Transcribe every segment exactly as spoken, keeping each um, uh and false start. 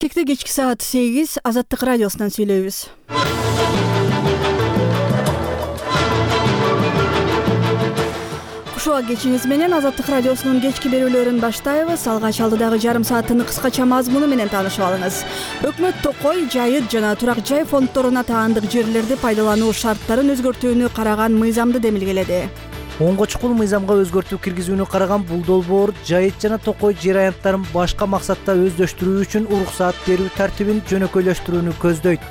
Кекте кечки саат сегиз Азаттык радиосунан сүйлөйбүз. Кушуа кечиңиз менен Азаттык радиосунун кечки берүүлөрүн баштайбыз. Алгач алдыдагы жарым сааттын кыскача мазмуну менен таанышып алыңыз. Өкмөт токой, жайыт жана турак жай фонддоруна таандык жерлерди пайдалануу шарттарын өзгөртүүнү караган мыйзамды демилгеледи. Оңго чукул мыйзамга өзгөртүү киргизүүнү караган бул долбоор жайыт жана токой жер аянттарын башка максатта өздөштүрүү үчүн уруксаат берүү тартибин жөнөкөйлөштүрүүнү көздөйт.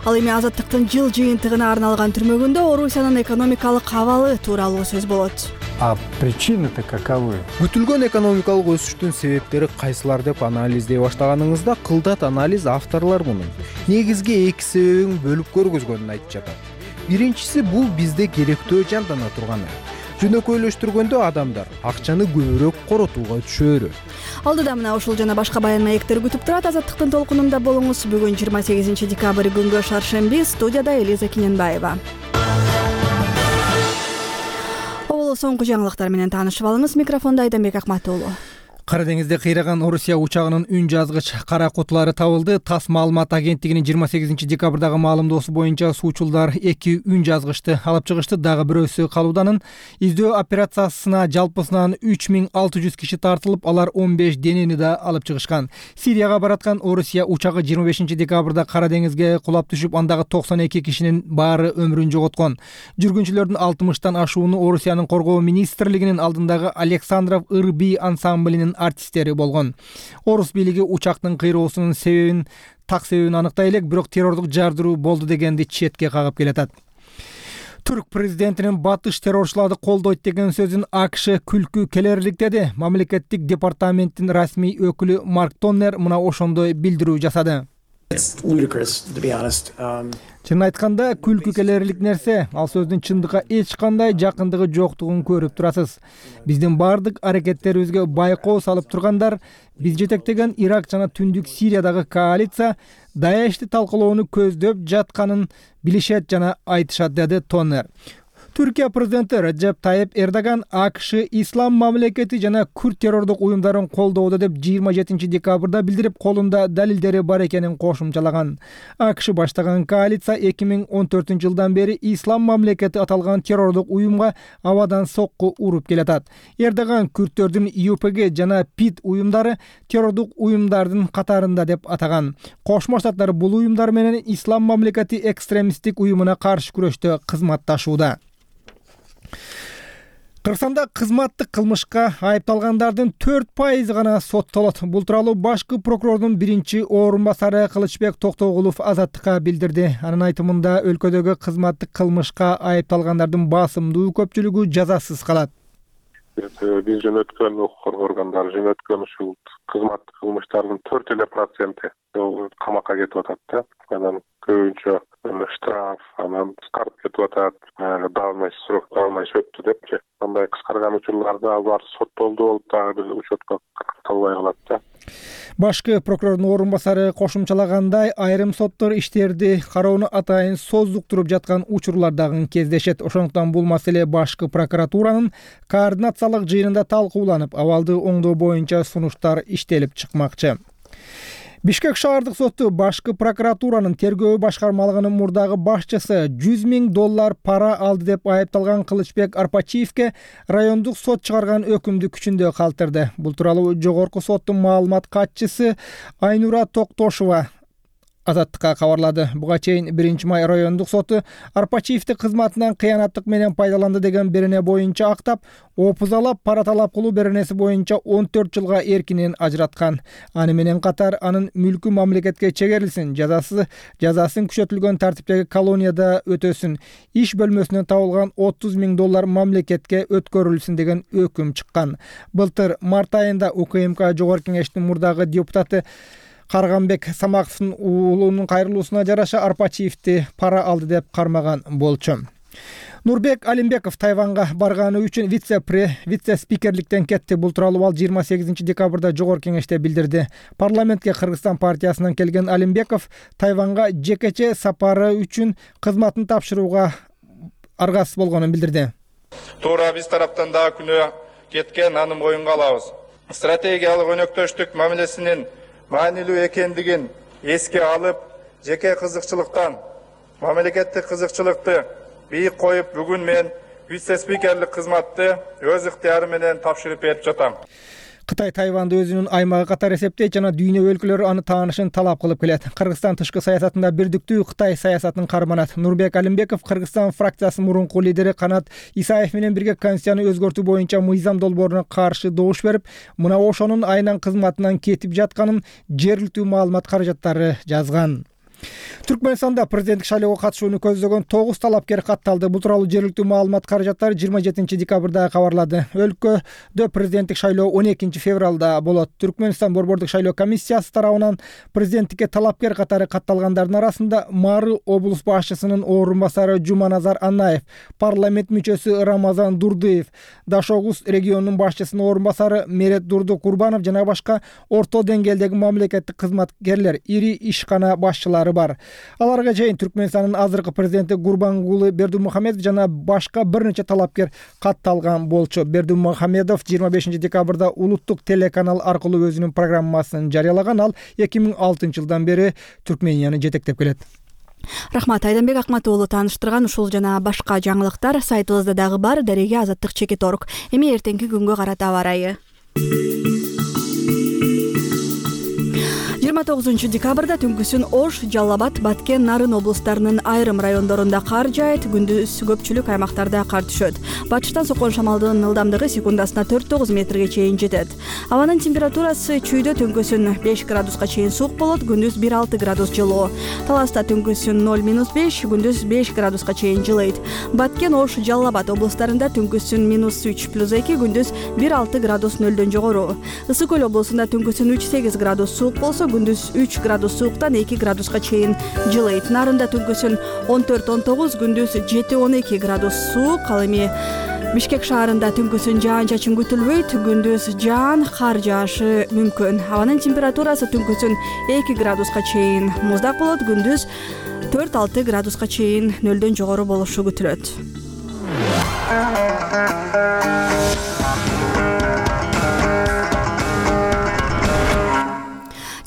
Ал эми Азаттыктын жыл жыйынтыгына арналган түрмөгүндө Орусиянын экономикалык абалы тууралуу сөз болот. А причины-то каковы? Күтүлгөн экономикалык өсүштүн себептери кайсылар деп анализдей баштаганыңызда кылдат анализ авторлор мунун негизги эки себебин бөлүп көргөзгөнүн айтып жатат. Биринчиси бул бизде керектөө жандана турганы. Жөнөкөйлөштүргөндө адамдар акчаны көбүрөөк коротууга түшөөрү. Алдыда мына ушул жана башка баян маектер күтүп турат. Азаттыктын толкунунда болуңуз. Бүгүн жыйырма сегизинчи декабрь күнгө шаршемби. Студияда Элиза Киненбаева. Оболо соңку жаңылыктар менен таанышып алыңыз. Микрофонда Айданбек Акматуулу. Кара деңизде кыйраган Орусия учагынын үн жазгыч кара кутулары табылды. ТАСС маалымат агенттигинин жыйырма сегизинчи декабрдагы маалымдоосу боюнча суучулдар эки үн жазгычты алып чыгышты. Дагы бирөөсү калууданын. Издөө операциясына жалпысынан үч миң алты жүз киши тартылып, алар он беш денени да алып чыгышкан. Сирияга бараткан Орусия учагы жыйырма бешинчи декабрда Кара деңизге кулап түшүп, андагы токсон эки кишинин баары өмүрүн жоготкон. Жүргүнчүлөрдүн алтымыштан ашууну Орусиянын коргоо министрлигинин алдындагы Александров Ырби ансамблинин артисттери болгон. Орус бийлиги учактын кыйроосунун себебин, так себебин аныктай элек, бирок террордук жардыруу болду дегенди четке кагып келатат. Түрк президентинин батыш террорчуларды колдойт деген сөзүн АКШ күлкү келерликтеди. Мамлекеттик департаменттин расмий өкүлү Марк Тоннер мына ошондой билдирүү жасады. Чын айтканда күлкү келерлик нерсе. Ал сөздүн чындыкка эч кандай жакындыгы жоктугун көрүп турасыз. Биздин бардык аракеттерибизге байкоо салып тургандар, биз жетектеген Ирак жана Түндүк Сириядагы коалиция Даешти талкалоону көздөп жатканын билишет жана айтышат, деди Тоннер. Түркия президенти Реджеп Тайип Эрдоган АКШ ислам мамлекети жана күрд террордук уюмдарын колдоодо деп жыйырма жетинчи декабрда билдирип, колунда далилдери бар экенин кошумчалаган. АКШ баштаган коалиция эки миң он төртүнчү жылдан бери ислам мамлекети аталган террордук уюмга абадан сокку уруп келатат. Эрдоган күрдтөрдүн ЮПГ жана ПИД уюмдары террордук уюмдардын катарында деп атаган. Кошмо Штаттар бул уюмдар менен ислам мамлекети экстремисттик уюмуна каршы күрөштө кызматташууда. Кыргызстанда кызматтык кылмышка айыпталгандардын төрт пайызы гана соттолот. Бул тууралуу башкы прокурордун биринчи орун басары Кылычбек Токтогулов Азаттыкка билдирди. Анын айтымында өлкөдөгү кызматтык кылмышка айыпталгандардын басымдуу көпчүлүгү жазасыз калат. Биз жөнөткөн укук коргоо органдары жөнөткөн ушул кызматтык кылмыштардын төрт эле проценти камакка кетип атат да. Анан көбүнчө штраф, анан кыскарып кетип атат, даалмай срок даалмай өттү депчи. Андай кыскарган учурларда алар соттолду болуп дагы бир учетко калтырылбай калат да. Башкы прокурордун орун басары кошумчалагандай, айрым соттор иштерди кароону атайын создуктуруп жаткан учурлар дагы кездешет. Ошондуктан бул маселе башкы прокуратуранын координациялык жыйынында талкууланып, абалды оңдоо боюнча сунуштар иштелип чыкмакчы. Бишкек шаардык соту башкы прокуратуранын тергөө башкармалыгынын мурдагы башчысы жүз миң доллар пара алды деп айыпталган Кылычбек Арпачиевке райондук сот чыгарган өкүмдү күчүндө калтырды. Бул тууралуу жогорку соттун маалымат катчысы Айнура Токтошова Азаттыкка кабарлады. Буга чейин биринчи май райондук соту Арпачиевди кызматынан кыянаттык менен пайдаланды деген берене боюнча актап, опузалап пара талап кылуу беренеси боюнча он төрт жылга эркинен ажыраткан. Аны менен катар анын мүлкү мамлекетке чегерилсин, жазасы жазасын күчөтүлгөн тартиптеги колонияда өтөсүн, иш бөлмөсүнөн табылган отуз миң доллар мамлекетке өткөрүлсүн деген өкүм чыккан. Былтыр март айында УКМК жогорку кеңештин мурдагы депутаты Карганбек Самаковдун уулунун кайрылуусуна жараша Арпачиевди пара алды деп кармаган болчу. Нурбек Алимбеков Тайванга барганы үчүн вице-спикерликтен кетти. Бул тууралуу ал жыйырма сегизинчи декабрда жогорку кеңеште билдирди. Парламентке Кыргызстан партиясынан келген Алимбеков Тайванга жекече сапары үчүн кызматын тапшырууга аргасыз болгонун билдирди. Туура биз тараптан дагы күнөө кеткен, аны моюнга алабыз. Стратегиялык өнөктөштүк мамилесинин маанилүү экендигин эске алып, жеке кызыкчылыктан мамлекеттик кызыкчылыкты бийик коюп, бүгүн мен вице-спикерлик кызматты өз ыктыярым менен тапшырып берип жатам. Кытай Тайванды өзүнүн аймагы катары эсептейт жана дүйнө өлкөлөрү аны таанышын талап кылып келет. Кыргызстан тышкы саясатында бирдиктүү Кытай саясатын карманат. Нурбек Алимбеков Кыргызстан фракциясынын мурунку лидери Канат Исаев менен бирге Конституцияны өзгөртүү боюнча мыйзам долбооруна каршы добуш берип, мына ошонун айынан кызматынан кетип жатканын жергиликтүү маалымат каражаттары жазган. Түркмөнстанда президенттик шайлоого катышууну көздөгөн тогуз талапкер катталды. Бул тууралуу жергиликтүү маалымат каражаттары жыйырма жетинчи декабрда кабарлады. Өлкөдө президенттик шайлоо он экинчи февралда болот. Түркмөнстан борбордук шайлоо комиссиясы тарабынан президенттикке талапкер катары катталгандардын арасында Мары облус башчысынын орун басары Жуманазар Анаев, парламент мүчөсү Рамазан Дурдыев, Дашогуз регионунун башчысынын орун басары Мерет Дурду Курбанов жана башка орто деңгээлдеги мамлекеттик кызматкерлер, ири ишкана башчылары бар. Аларга чейин Түркмөнстандын азыркы президенти Гурбангулы Бердимухамедов жана башка бир нече талапкер катталган болчу. Бердимухамедов жыйырма бешинчи декабрда улуттук телеканал аркылуу өзүнүн программасын жарыялаган. Ал эки миң алтынчы жылдан бери Түркменияны жетектеп келет. Рахмат, Айданбек Акматуулу тааныштырган ушул жана башка жаңылыктар сайтыбызда дагы бар. Дареге Азаттык чекит орг. Эми эртеңки күнгө карата аба ырайы. жыйырма тогузунчу декабрда түнкүсүн Ош, Жалал Абад, Баткен, Нарын облустарынын айрым райондорунда кар жаайт, күндүз көпчүлүк аймактарда кар түшөт. Батыштан соккон шамалдын ылдамдыгы секундасына төрт тогуз метрге чейин жетет. Абанын температурасы чүйдө түнкүсүн беш градуска чейин суук болот, күндүз бир алты градус жылуу. Таласта түнкүсүн ноль минус беш, күндүз беш градуска чейин жылыйт. Баткен, Ош, Жалал Абад облустарында түнкүсүн минус үч плюс эки, күндүз бир алты градус нөлдөн жогору. Ысык көл облусунда түнкүсүн үч сегиз градус суук болсо, күндүз үч градус сууктан эки градуска чейин жылыйт. Нарында түнкүсүн он төрт он тогуз, күндүз жети он эки градус суук. Ал эми Бишкек шаарында түнкүсүн жаан-чачын күтүлбөйт, күндүз жаан, кар жаашы мүмкүн. Абанын температурасы түнкүсүн эки градуска чейин муздак болот, күндүз төрт алты градуска чейин нөлдөн жогору болушу күтүлөт.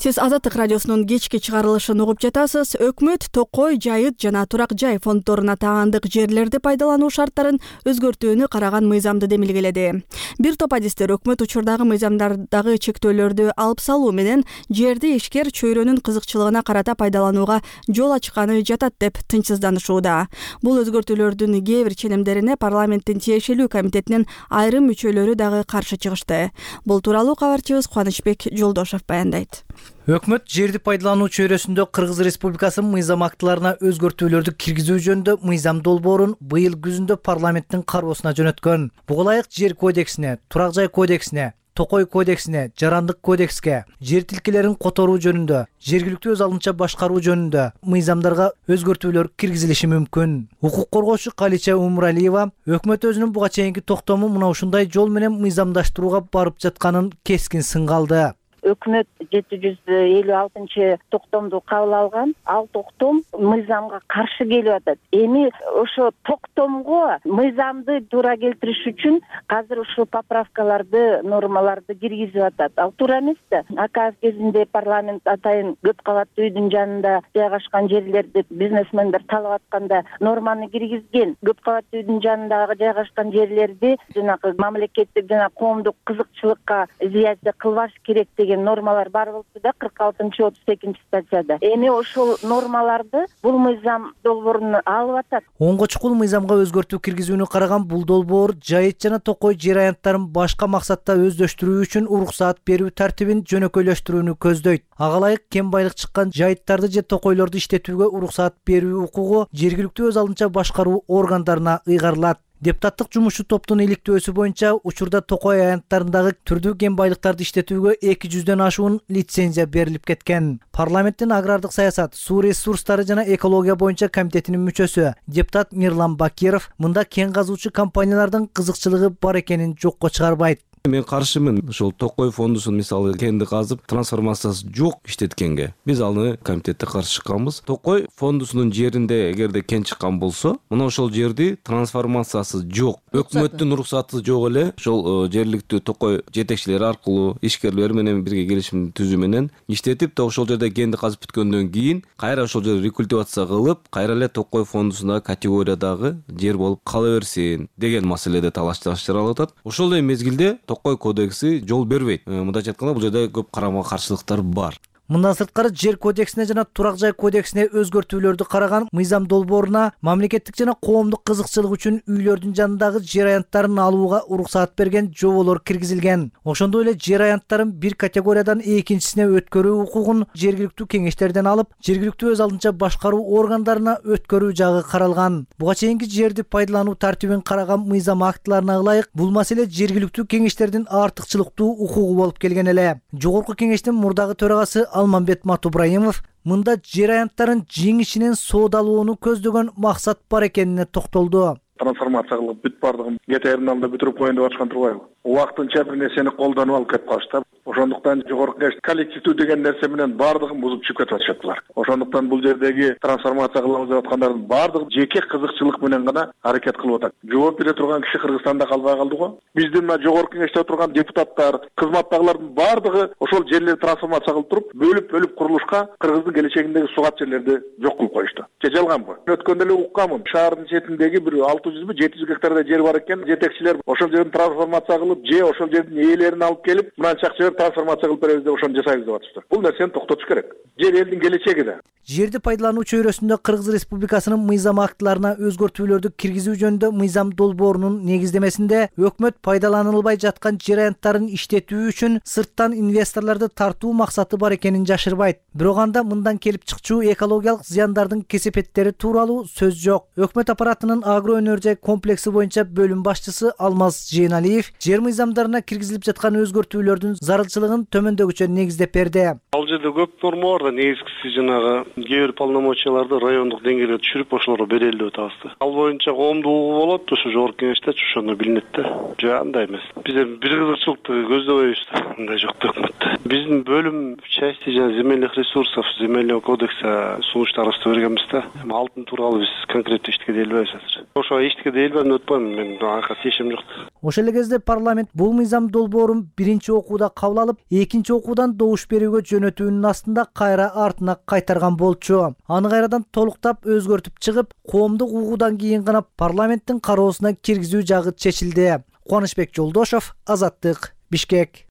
Сиз Азаттык радиосунун кечки чыгарылышын угуп жатасыз. Өкмөт Токой, Жайыт жана Турак жай фонддоруна таандык жерлерди пайдалануу шарттарын өзгөртүүнү караган мыйзамды демилгеледи. Бир топ адистер өкмөт учурдагы мыйзамдардагы чектөөлөрдү алып салуу менен жерди ишкер чөйрөнүн кызыкчылыгына карата пайдаланууга жол ачканы жатат деп тынчсызданышууда. Бул өзгөртүүлөрдүн кээ бир ченемдерине парламенттин тиешелүү комитетинин айрым мүчөлөрү дагы каршы чыгышты. Бул тууралуу кабарчыбыз Кубанычбек Жолдошов баяндайт. Өкмөт жерди пайдалануу чөйрөсүндө Кыргыз Республикасынын мыйзам актыларына өзгөртүүлөрдү киргизүү жөнүндө мыйзам долбоорун быйыл күзүндө парламенттин кароосуна жөнөткөн. Буга ылайык жер кодексине, турак жай кодексине, Токой кодексине, жарандык кодекске, жер тилкелерин которуу жөнүндө, жергиликтүү өз алынча башкаруу жөнүндө мыйзамдарга өзгөртүүлөр киргизилиши мүмкүн. Укук коргоочу Калича Умуралиева өкмөт өзүнүн буга чейинки токтому мына ушундай жол менен мыйзамдаштырууга барып жатканын кескин сынгалды. Өкмөт жети жүз элүү алтынчы токтомду кабыл алган. Ал токтом мыйзамга каршы келип атат. Эми ошо токтомго мыйзамды туура келтириш үчүн азыр ушул поправкаларды, нормаларды киргизип атат. Ал туура эмес да. Аказ кезинде парламент атайын көп кабаттуу үйдүн жанында жайгашкан жерлерди бизнесмендер талап атканда норманы киргизген. Көп кабаттуу үйдүн жанындагы жайгашкан жерлерди жанагы мамлекеттик жана коомдук кызыкчылыкка изоляция кылбаш керек деген нормалар бар болчу да кырк алтынчы отуз экинчи статьяда. Эми ошол нормаларды бул мыйзам долбооруна алып атат. Онго чукул мыйзамга өзгөртүү киргизүүнү караган бул долбоор Жайыт жана Токой жер аянттарын башка максатта өздөштүрүү үчүн уруксаат берүү тартибин жөнөкөйлөштүрүүнү көздөйт. Ага ылайык кем байлык чыккан жайыттарды же токойлорду иштетүүгө уруксаат берүү укугу жергиликтүү өз алынча башкаруу органдарына ыйгарылат. Депутаттык жумушчу топтун иликтөөсү боюнча учурда Токой аянттарындагы түрдүү кен байлыктарды иштетүүгө эки жүздөн ашуун лицензия берилип кеткен. Парламенттин агрардык саясат, суу ресурстары жана экология боюнча комитетинин мүчөсү депутат Мирлан Бакиров мында кен казуучу компаниялардын кызыкчылыгы бар экенин жокко чыгарбайт. Мен каршымын. Ошол Токой фондусун мисалы кенди казып трансформациясы жок иштеткенге. Биз аны комитетте каршы чыкканбыз. Токой фондусунун жеринде эгерде кен чыккан болсо, мына ошол жерди трансформациясы жок, өкмөттүн уруксаты жок эле ошол жергиликтүү Токой жетекчилери аркылуу ишкерлер менен бирге келишим түзүү менен иштетип, ошол жерде кенди казып бүткөндөн кийин кайра ошол жерди рекультивация кылып, кайра эле Токой фондусундагы категориядагы жер болуп кала берсин деген маселеде талаш жаралып атат. Ошол эле мезгилде Токой кодекси жол бербейт. Мындайча айтканда, бул жерде көп карама каршылыктар бар. Мындан сырткары жер кодексине жана турак жай кодексине өзгөртүүлөрдү караган мыйзам долбооруна мамлекеттик жана коомдук кызыкчылык үчүн үйлөрдүн жанындагы жер аянттарын алууга уруксаат берген жоболор киргизилген. Ошондой эле жер аянттарын бир категориядан экинчисине өткөрүү укугун жергиликтүү кеңештерден алып, жергиликтүү өз алдынча башкаруу органдарына өткөрүү жагы каралган. Буга чейинки жерди пайдалануу тартибин караган мыйзам актыларына ылайык, бул маселе жергиликтүү кеңештердин артыкчылыктуу укугу болуп келген эле. Жогорку кеңештин мурдагы төрагасы Алмамбет Матубраимов мында жер аянттарын жеңишинен соодалууну көздөгөн максат бар экенине токтолду. Трансформация кылып бүт бардыгын кете терминалда бүтүрүп коеюн деп аткан турбайбы? Убактынча бир нерсени колдонуп алып кетип калышты. Ошондуктан жогорку кеңеш коллективдүү деген нерсе менен бардыгын бузуп чыгып кетип атышат булар. Ошондуктан бул жердеги трансформация кылабыз деп аткандардын бардыгы жеке кызыкчылык менен гана аракет кылып атат. Жооп бере турган киши Кыргызстанда калбай калды го. Биздин мына жогорку кеңеште отурган депутаттар, кызматтагылардын бардыгы ошол жерлерди трансформация кылып туруп, бөлүп-бөлүп курулушка Кыргыздын келечегиндеги сугат жерлерди жок кылып коюшту. Же жалганбы? Өткөндө эле укканмын. Шаардын четиндеги бир алты жүзбү жети жүз гектарда жер бар экен. Жетекчилер ошол жерди трансформация кылып, же ошол жердин ээлерин алып келип, мынанчак жер трансформация кылып беребиз деп ошону жасайбыз деп атышты. Бул нерсени токтотуш керек. Жер элдин келечеги да. Жерди пайдалануу чөйрөсүндө Кыргыз Республикасынын мыйзам актыларына өзгөртүүлөрдү киргизүү жөнүндө мыйзам долбоорунун негиздемесинде өкмөт пайдаланылбай жаткан жер аянттарын иштетүү үчүн сырттан инвесторлорду тартуу максаты бар экенин жашырбайт. Бирок анда мындан келип чыкчу экологиялык зыяндардын кесепеттери тууралуу сөз жок. Өкмөт аппаратынын агро өнөр жай комплекси боюнча бөлүм башчысы Алмаз Жейналиев жер мыйзамдарына киргизилип жаткан өзгөртүүлөрдүн зарылчылыгын төмөндөгүчө негиздеп берди. Ал жерде көп норма бар да, негизгиси жанагы кээ бир полномочияларды райондук деңгээлге түшүрүп ошолорго берели деп атабыз. Ал боюнча коомдук угуу болот, ошо жогорку кеңеште ошондо билинет да. Жок, андай эмес. Биз эми бир кызыкчылыкты көздөбөйбүз да. Мындай жок да өкмөттө. Биздин бөлүм части жана земельных ресурсов, земельного кодекса сунуштарыбызды бергенбиз да. Эми алтын тууралуу биз конкреттүү иштикке делбейбиз азыр. Ошо иштикке делбем деп атпайм, мен ага чечим жок. Ошол эле кезде парламент бул мыйзам долбоорун биринчи окууда кабыл алып, экинчи окуудан добуш берүүгө жөнөтүүнүн астында кайра артына кайтарган болчу. Аны кайрадан толуктап өзгөртүп чыгып, коомдук угуудан кийин гана парламенттин кароосуна киргизүү жагы чечилди. Кубанычбек Жолдошов, Азаттык, Бишкек.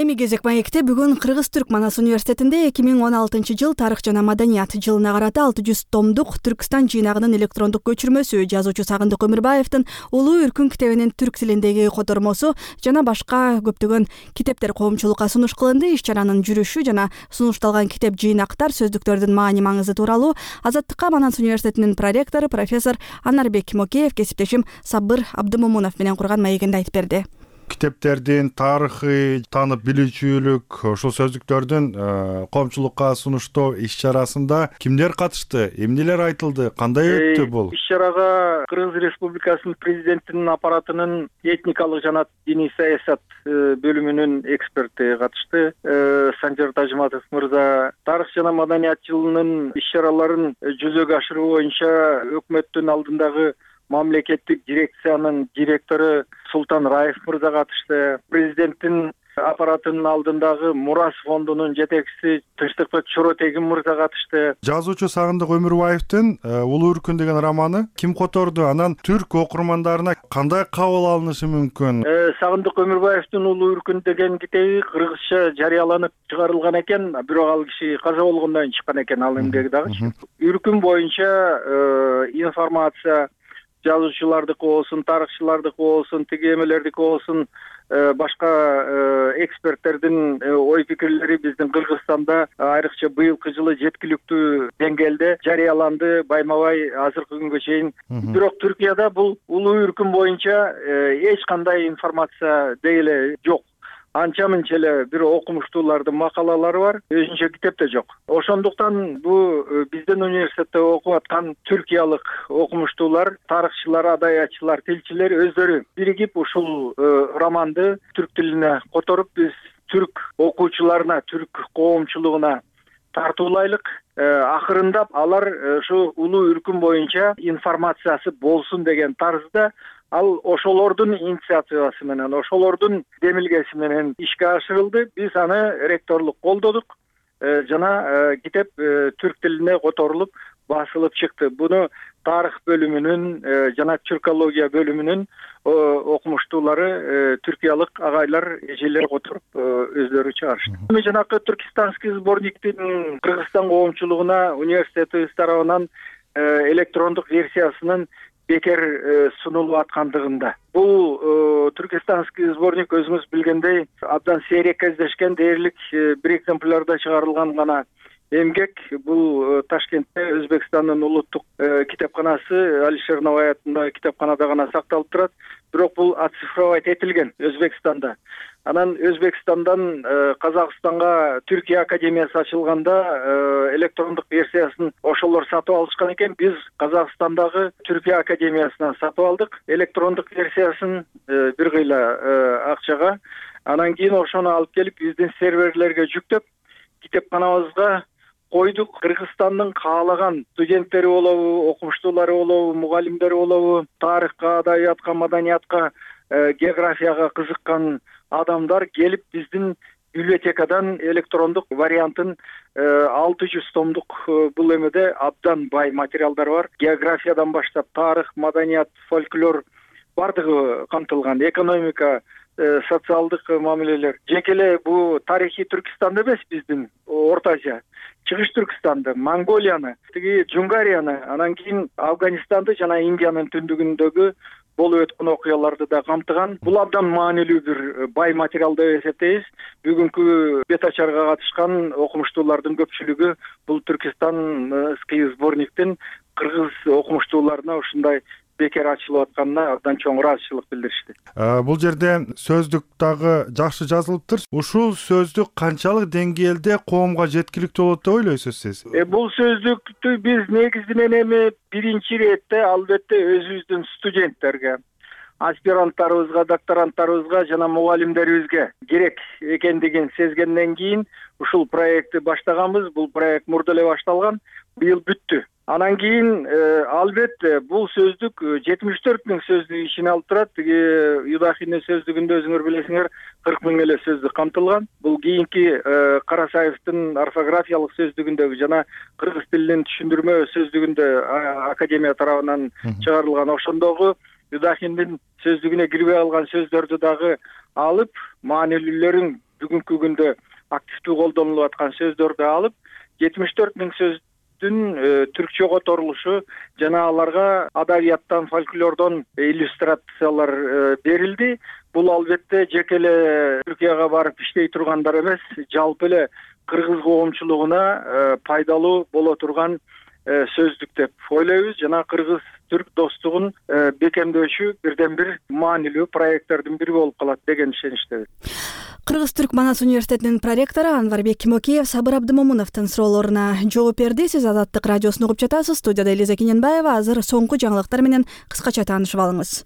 Эми кезек маекте бүгүн Кыргыз-Түрк Манас университетинде эки миң он алтынчы жыл тарых жана маданият жылына карата алты жүз томдук Түркстан жыйнагынын электрондук көчүрмөсү, жазуучу Сагындык Өмүрбаевдин Улуу Үркүн китебинин түрк тилиндеги котормосу жана башка көптөгөн китептер коомчулукка сунуш кылынды. Иш-чаранын жүрүшү жана сунушталган китеп жыйнактар, сөздүктөрдүн маани маңызы тууралуу Азаттыкка Манас университетинин проректору профессор Анарбек Мокеев кесиптешим Сабыр Абдымомунов менен курган маегинде айтып берди. Китептердин тарыхы, таанып билүүчүлүк, ошол сөздүктөрдүн коомчулукка сунуштоо иш-чарасында кимдер катышты, эмнелер айтылды, кандай өттү бул? Иш-чарага Кыргыз Республикасынын президентинин аппаратынын этникалык жана диний саясат бөлүмүнүн эксперти катышты. Санжар Тажматов мырза тарых жана маданият жылынын иш-чараларын жүзөгө ашыруу боюнча өкмөттүн алдындагы мамлекеттик дирекциянын директору Султан Раев мырза катышты. Президенттин аппаратынын алдындагы Мурас фондунун жетекчиси Тынчтыкбек Чоротегин мырза катышты. Жазуучу Сагындык Өмүрбаевдин Улуу Үркүн деген романы ким которду? Анан түрк окурмандарына кандай кабыл алынышы мүмкүн? Сагындык Өмүрбаевдин Улуу Үркүн деген китеби кыргызча жарыяланып чыгарылган экен, бирок ал киши каза болгондон кийин чыккан экен, ал эмгеги дагы. Үркүн боюнча информация жазуучулардыкы болсун, тарыхчылардыкы болсун, тиги эмелердики болсун, башка эксперттердин ой пикирлери биздин Кыргызстанда айрыкча быйылкы жылы жеткиликтүү деңгээлде жарыяланды, байма-бай азыркы күнгө чейин. Бирок Түркияда бул Улуу Үркүн боюнча эч кандай информация деги эле жок. анча мынча эле бир окумуштуулардын макалалары бар, өзүнчө китеп да жок. Ошондуктан бул биздин университетте окуп аткан түркиялык окумуштуулар, тарыхчылар, адаятчылар, тилчилер өздөрү биригип ушул романды түрк тилине которуп, биз түрк окуучуларына, түрк коомчулугуна тартуулайлык. Акырындап алар ушу улуу үркүм боюнча информациясы болсун деген тарзда ал ошолордун инициативасы менен, ошолордун демилгеси менен ишке ашырылды. Биз аны ректорлук колдодук жана китеп түрк тилине которулуп басылып чыкты. Буну тарых бөлүмүнүн жана түркология бөлүмүнүн окумуштуулары, түркиялык агайлар, эжелер которуп өздөрү чыгарышты. Эми жанакы түркистанский сборниктин Кыргызстан коомчулугуна университетибиз тарабынан электрондук версиясынын бекер сунулуп аткандыгында. Бул түркистанский сборник өзүңүз билгендей абдан сейрек кездешкен, дээрлик бир экземплярда чыгарылган гана эмгек. Бул Ташкентте Өзбекстандын улуттук китепканасы Алишер Навай атындагы китепканада гана сакталып турат. Бирок бул оцифровать этилген Өзбекстанда. Анан Өзбекстандан Казакстанга Түркия академиясы ачылганда электрондук версиясын ошолор сатып алышкан экен. Биз Казакстандагы Түркия академиясынан сатып алдык электрондук версиясын бир кыйла акчага. Анан кийин ошону алып келип биздин серверлерге жүктөп, китепканабызга койдук. Кыргызстандын каалаган студенттери болобу, окумуштуулары болобу, мугалимдери болобу, тарыхка, адабиятка, маданиятка, географияга кызыккан адамдар келип биздин библиотекадан электрондук вариантын алты жүз томдук бул эмеде абдан бай материалдар бар. Географиядан баштап тарых, маданият, фольклор бардыгы камтылган. Экономика, социалдык мамилелер. Жеке эле бул тарихи Түркистанды эмес, биздин Орто Азия, Чыгыш Түркистанды, Монголияны, тиги Джунгарияны, анан кийин Афганистанды жана Индиянын түндүгүндөгү болуп өткөн окуяларды да камтыган. Бул абдан маанилүү бир бай материал деп эсептейбиз. Бүгүнкү бет ачарга катышкан окумуштуулардын көпчүлүгү бул түркистанский сборниктин кыргыз окумуштууларына ушундай бекер ачылып атканына абдан чоң ыраазычылык билдиришти. Бул жерде сөздүк дагы жакшы жазылыптыр. Ушул сөздүк канчалык деңгээлде коомго жеткиликтүү болот деп ойлойсуз сиз? Бул сөздүктү биз негизинен эми биринчи иретте албетте өзүбүздүн студенттерге, аспиранттарыбызга, докторанттарыбызга жана мугалимдерибизге керек экендигин сезгенден кийин ушул проектти баштаганбыз. Бул проект мурда эле башталган, быйыл бүттү. Анан кийин албетте бул сөздүк жетимиш төрт миң сөздүк ичине алып турат. Тиги Юдахиндин сөздүгүндө өзүңөр билесиңер кырк миң эле сөздүк камтылган. Бул кийинки Карасаевдин орфографиялык сөздүгүндөгү жана кыргыз тилинин түшүндүрмө сөздүгүндө академия тарабынан чыгарылган ошондогу Юдахиндин сөздүгүнө кирбей калган сөздөрдү дагы алып, маанилүүлөрүн бүгүнкү күндө активдүү колдонулуп аткан сөздөрдү алып, жетимиш төрт миң сөз түркчө которулушу жана аларга адабияттан, фольклордон иллюстрациялар берилди. Бул албетте жеке эле Түркияга барып иштей тургандар эмес, жалпы эле кыргыз коомчулугуна пайдалуу боло турган сөздүк деп ойлойбуз. Жана кыргыз-түрк достугун бекемдөөчү бирден бир маанилүү проекттердин бири болуп калат деген ишеничтебиз. Кыргыз-Түрк Манас университетинин проректору Анварбек Кимокеев Сабыр Абдымомуновдун суроолоруна жооп берди. Сиз Азаттык радиосун угуп жатасыз. Студияда Элиза Кененбаева. Азыр соңку жаңылыктар менен кыскача таанышып алыңыз.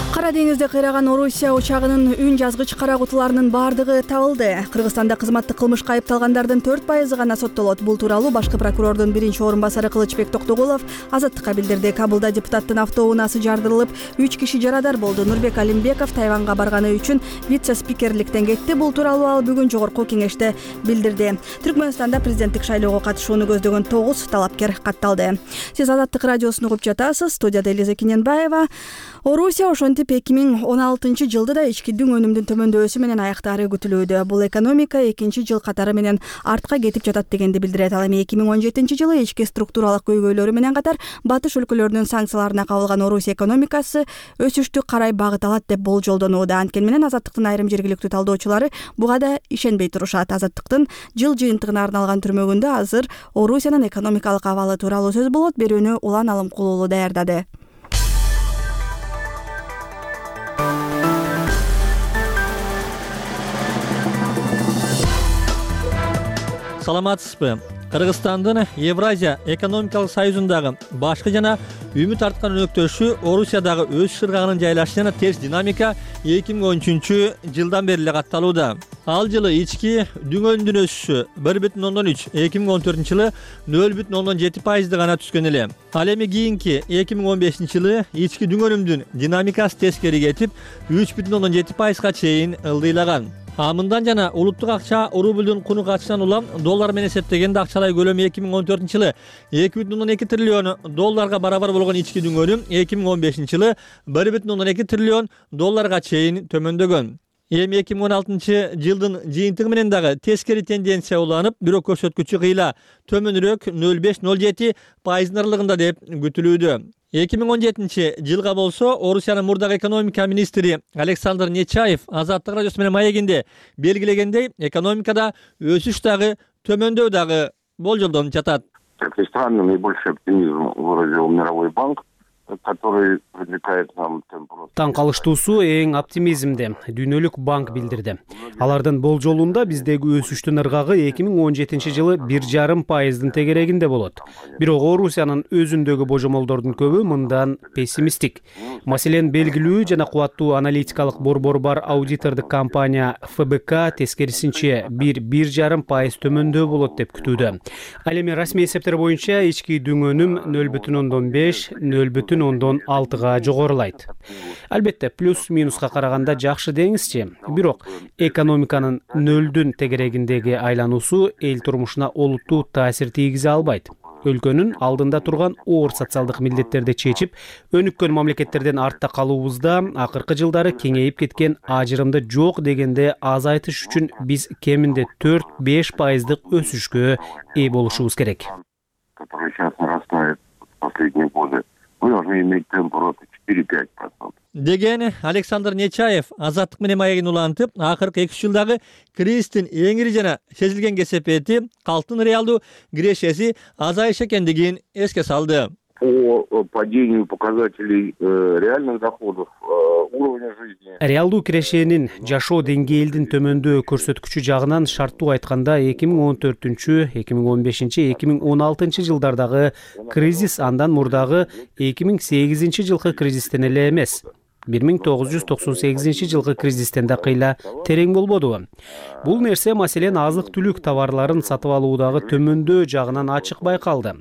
Кара деңизде кыйраган Орусия учагынын үн жазгыч кара кутуларынын бардыгы табылды. Кыргызстанда кызматтык кылмышка айыпталгандардын төрт пайызы гана соттолот. Бул тууралуу башкы прокурордун биринчи орун басары Кылычбек Токтогулов Азаттыкка билдирди. Кабылда депутаттын автоунаасы жардырылып, үч киши жарадар болду. Нурбек Алимбеков Тайванга барганы үчүн вице-спикерликтен кетти. Бул тууралуу ал бүгүн жогорку кеңеште билдирди. Түркмөнстанда президенттик шайлоого катышууну көздөгөн тогуз талапкер катталды. Сиз Азаттык радиосун угуп жатасыз. Студияда Элиза Кененбаева. Орусия ошентип эки миң он алтынчы жылды да ички дүң өнүмдүн төмөндөшү менен аяктаары күтүлүүдө. Бул экономика экинчи жыл катары менен артка кетип жатат дегенди билдирет. Ал эми эки миң он жетинчи жылы ички структуралык көйгөйлөрү менен катар батыш өлкөлөрүнүн санкцияларына кабылган Орусия экономикасы өсүштү карай багыт алат деп болжолдонууда. Анткени менен Азаттыктын айрым жергиликтүү талдоочулары буга да ишенбей турушат. Азаттыктын жыл жыйынтыгына арналган түрмөгүндө азыр Орусиянын экономикалык абалы тууралуу сөз болот. Берүүнү Улан Алымкулуулу даярдады. саламатсызбы? Кыргызстандын Евразия экономикалык союзундагы башкы жана үмүт арткан өнөктөшү Орусиядагы өсүш ыргагынын жайлашышына терс динамика эки миң он үчүнчү жылдан бери эле катталууда. Ал жылы ички дүңөнүндүн өсүшү бир бүтүн ондон үч, эки миң он төртүнчү жылы нөл бүтүн ондон жети пайызды гана түзгөн эле. Ал эми кийинки эки миң он бешинчи жылы ички дүңөнүмдүн динамикасы тескери кетип, үч бүтүн ондон жети пайызга чейин ылдыйлаган. А мындан жана улуттук акча рублдун куну качынан улам доллар менен эсептегенде акчалай көлөмү эки миң он төртүнчү жылы эки бүтүн ондон эки триллион долларга барабар болгон ички дүңөнүм эки миң он бешинчи жылы бир бүтүн ондон эки триллион долларга чейин төмөндөгөн. Эми эки миң он алтынчы жылдын жыйынтыгы менен дагы тескери тенденция уланып, бирок көрсөткүчү кыйла төмөнүрөөк нөл бүтүн беш нөл жети пайыздын аралыгында деп күтүлүүдө. эки миң он жетинчи жылга болсо Орусиянын мурдагы экономика министри Александр Нечаев Азаттык радиосу менен маегинде белгилегендей, экономикада өсүш дагы төмөндөв дагы болжолдонуп жатат. Как ни странно, наибольший оптимизм выразил Мировой банк, который привлекает нам темп роста. Таң калыштуусу эң оптимизмди Дүйнөлүк банк билдирди. Алардын болжолунда биздеги өсүштүн ыргагы эки миң он жетинчи жылы бир жарым пайыздын тегерегинде болот. Бирок Орусиянын өзүндөгү божомолдордун көбү мындан пессимисттик. Маселен, белгилүү жана кубаттуу аналитикалык борбор бар аудитордук компания эф бэ ка тескерисинче бир бир жарым пайыз төмөндөө болот деп күтүүдө. Ал эми расмий эсептер боюнча ички дүңөнүм нөл бүтүн ондон беш, нөл бүтүн ондон алтыга жогорулайт. Албетте, плюс минуска караганда жакшы деңизчи. Бирок экономиканын нөлдүн тегерегиндеги айлануусу эл турмушуна олуттуу таасир тийгизе албайт. Өлкөнүн алдында турган оор социалдык милдеттерди чечип, өнүккөн мамлекеттерден артта калуубузда акыркы жылдары кеңейип кеткен ажырымды жок дегенде азайтыш үчүн биз кеминде төрт беш пайыздык өсүшкө ээ болушубуз керек. Мы должны иметь темп роста четыре-пять процентов. Деген Александр Нечаев Азаттык менен маегин улантып, акыркы эки үч жылдагы кризистин эң ири жана сезилген кесепети калктын реалдуу кирешеси азайыш экендигин эске салды. По падению показателей реальных доходов, уровня жизни. Реалдуу кирешенин жашоо деңгээлдин төмөндөө көрсөткүчү жагынан шарттуу айтканда эки миң он төртүнчү, эки миң он бешинчи, эки миң он алтынчы жылдардагы кризис андан мурдагы эки миң сегизинчи жылкы кризистен эле эмес. бир миң тогуз жүз токсон сегизинчи жылкы кризистен да кыйла терең болбодубу? Бул нерсе маселен азык-түлүк товарларын сатып алуудагы төмөндөө жагынан ачык байкалды.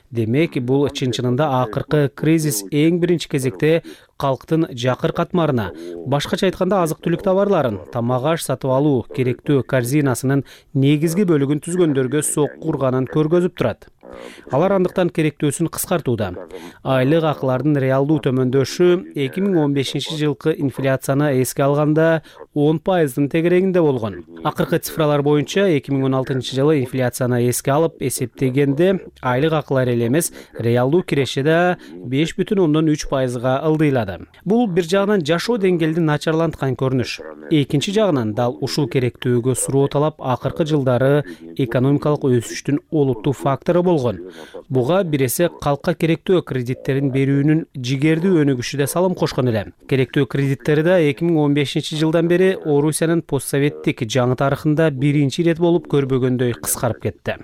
Демек, бул чын-чынында акыркы кризис эң биринчи кезекте калктын жакыр катмарына, башкача айтканда азык-түлүк товарларын, тамак-аш сатып алуу керектүү корзинасынын негизги бөлүгүн түзгөндөргө сокку урганын көргөзүп турат. Алар андыктан керектөөсүн кыскартууда. Айлык акылардын реалдуу төмөндөшү эки миң он бешинчи жылкы инфляцияны эске алганда он пайыздын тегерегинде болгон. Акыркы цифралар боюнча эки миң он алтынчы жылы инфляцияны эске алып эсептегенде айлык акылар эле эмес, реалдуу киреше да беш бүтүн ондон үч пайызга ылдыйлады. Бул бир жагынан жашоо деңгээлин начарланткан көрүнүш. Экинчи жагынан дал ушул керектөөгө суроо талап акыркы жылдары экономикалык өсүштүн олуттуу фактору болгон. Буга бир эсе калкка керектөө кредиттерин берүүнүн жигердүү өнүгүшү да салым кошкон эле. Керектөө кредиттери да эки миң он бешинчи жылдан бери Орусиянын постсоветтик жаңы тарыхында биринчи ирет болуп көрбөгөндөй кыскарып кетти.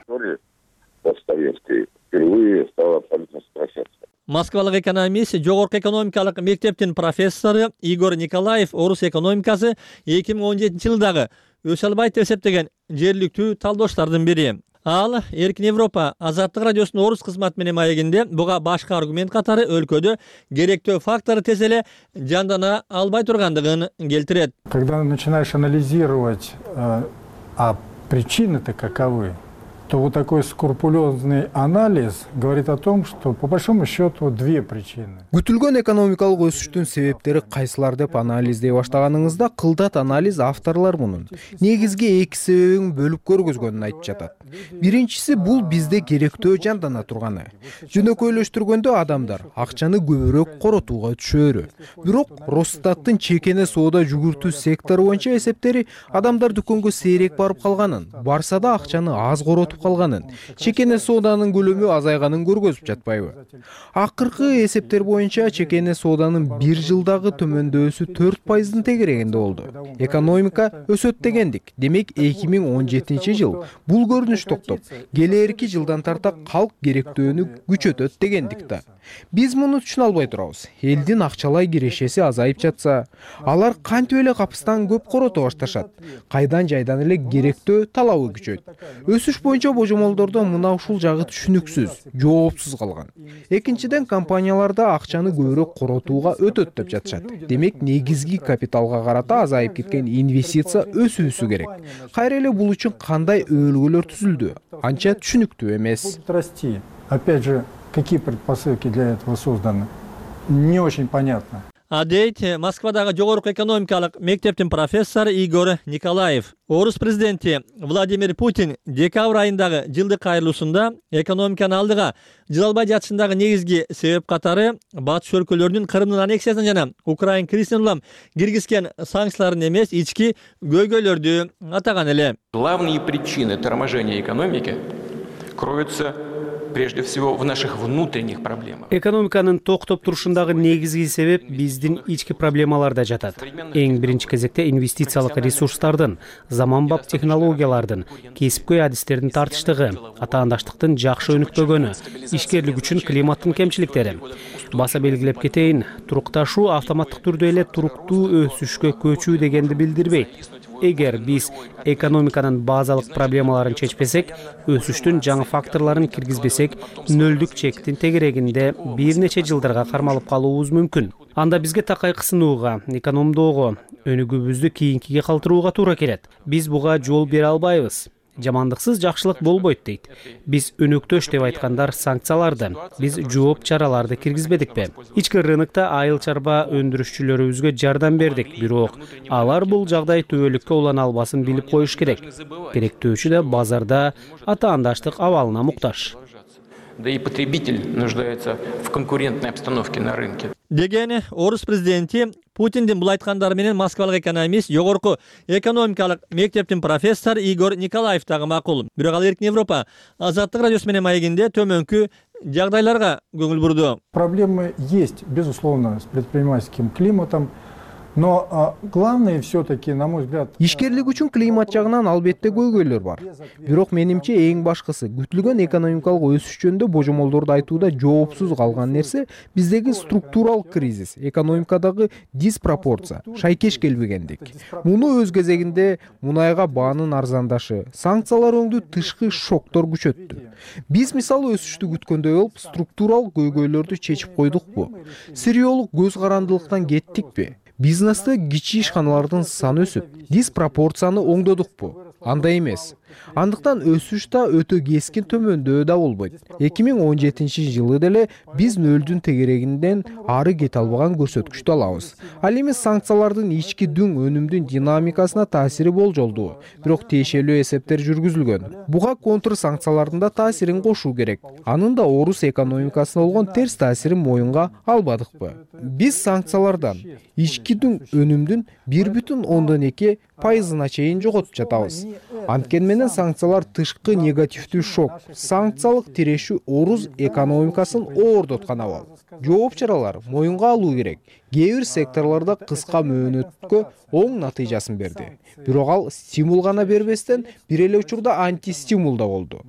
Москвалык экономист, жогорку экономикалык мектептин профессору Игорь Николаев орус экономикасы эки миң он жетинчи жылдагы өсө албайт деп эсептеген жергиликтүү талдоочлордун бири. Ал Эркин Европа Азаттык радиосунун орус кызматы менен маегинде буга башка аргумент катары өлкөдө керектөө фактор тез эле жандана албай тургандыгын келтирет. Когда начинаешь анализировать, а причины-то каковы, то вот такой скрупулезный анализ говорит о том, что по большому счету две причины. Күтүлгөн экономикалык өсүштүн себептери кайсылар деп анализдей баштаганыңызда кылдат анализ авторлор мунун негизги эки себебин бөлүп көргөзгөнүн айтып жатат. Биринчиси бул бизде керектөө жандана турганы. Жөнөкөйлөштүргөндө адамдар акчаны көбүрөөк коротууга түшөөрү. Бирок Росстаттын чекене соода жүгүртүү сектору боюнча эсептери адамдар дүкөнгө сейрек барып калганын, барса да акчаны аз коротуп өтүп калганын, чекене сооданын көлөмү азайганын көргөзүп жатпайбы? Акыркы эсептер боюнча чекене сооданын бир жылдагы төмөндөсү төрт пайыздын тегерегинде болду. Экономика өсөт дегендик. Демек эки миң он жетинчи жыл бул көрүнүш токтоп, келээрки жылдан тарта калк керектөөнү күчөтөт дегендик да. Биз муну түшүнө албай турабыз. Элдин акчалай кирешеси азайып жатса, алар кантип эле капыстан көп корото башташат? Кайдан жайдан эле керектөө талабы күчөйт. Өсүш боюнча божомолдордо мына ушул жагы түшүнүксүз, жоопсуз калган. Экинчиден, компанияларда акчаны көбүрөөк коротууга өтөт деп жатышат. Демек негизги капиталга карата азайып кеткен инвестиция өсүүсү керек. Кайра эле бул үчүн кандай өбөлгөлөр түзүлдү? Анча түшүнүктүү эмес. Опять же, какие предпосылки для этого созданы? Не очень понятно. Адейт Москвадагы жогорку экономикалык мектептин профессору Игорь Николаев. Орус президенти Владимир Путин декабрь айындагы жылдык кайрылуусунда экономиканы алдыга жыла албай жатышындагы негизги себеп катары батыш өлкөлөрүнүн Крымдын аннексиясына жана Украина кризисине улам киргизген санкцияларын эмес, ички көйгөйлөрдү атаган эле. Главные причины торможения экономики кроются прежде всего в наших внутренних проблемах. Экономиканын токтоп турушундагы негизги себеп биздин ички проблемаларда жатат. Эң биринчи кезекте инвестициялык ресурстардын, заманбап технологиялардын, кесипкөй адистердин тартыштыгы, атаандаштыктын жакшы өнүкпөгөнү, ишкерлик үчүн климаттын кемчиликтери. Баса белгилеп кетейин, турукташуу автоматтык түрдө эле туруктуу өсүшкө көчүү дегенди билдирбейт. Эгер биз экономиканын базалык проблемаларын чечпесек, өсүштүн жаңы факторлорун киргизбесек, нөлдүк чектин тегерегинде бир нече жылдарга кармалып калуубуз мүмкүн. Анда бизге такай кысынууга, экономдоого, өнүгүүбүздү кийинкиге калтырууга туура келет. Биз буга жол бере албайбыз. Жамандыксыз жакшылык болбойт дейт. Биз өнөктөш деп айткандар санкцияларды, биз жооп чараларды киргизбедикпи? Ички рынокто айыл чарба өндүрүшчүлөрүбүзгө жардам бердик, бирок алар бул жагдай түбөлүккө улана албасын билип коюш керек. Керектөөчү да базарда атаандаштык абалына муктаж. Да и потребитель нуждается в конкурентной обстановке на рынке. Деген орус президенти Путиндин бул айткандары менен москвалык экономист, жогорку экономикалык мектептин профессору Игорь Николаев дагы макул. Бирок ал Эркин Европа Азаттык радиосу менен маегинде төмөнкү жагдайларга көңүл бурду. Проблемы есть, безусловно, с предпринимательским климатом. Но а, главное все-таки, на мой взгляд... Ишкерлик үчүн климат жагынан албетте көйгөйлөр бар. Бирок менимче эң башкысы күтүлгөн экономикалык өсүш жөнүндө божомолдорду айтууда жоопсуз калган нерсе биздеги структурал кризис, экономикадагы диспропорция, шайкеш келбегендик. Муну өз кезегинде мунайга баанын арзандашы, санкциялар өңдүү тышкы шоктор күчөттү. Биз мисалы өсүштү күткөндөй болуп структурал көйгөйлөрдү чечип койдукпу? Сириолук көз карандылыктан кеттикпи? Бизнесте кичи ишканалардын саны өсүп, диспропорцияны оңдодукпу? Андай эмес. Андыктан өсүш да өтө кескин төмөндөө да болбойт. эки миң он жетинчи жылы деле биз нөлдүн тегерегинден ары кете албаган көрсөткүчтү алабыз. Ал эми санкциялардын ички дүң өнүмдүн динамикасына таасири болжолдуу, бирок тиешелүү эсептер жүргүзүлгөн. Буга контр санкциялардын да таасирин кошуу керек. Анын да орус экономикасына болгон терс таасирин моюнга албадыкпы? Биз санкциялардан ички дүң өнүмдүн бир бүтүн ондон эки пайызына чейин жоготуп жатабыз. Анткени менен санкциялар тышкы негативдүү шок, санкциялык тирешүү орус экономикасын оордоткан абал. Жооп чаралар моюнга алуу керек. Кээ бир секторлордо кыска мөөнөткө оң натыйжасын берди. Бирок ал стимул гана бербестен бир эле учурда антистимул да болду.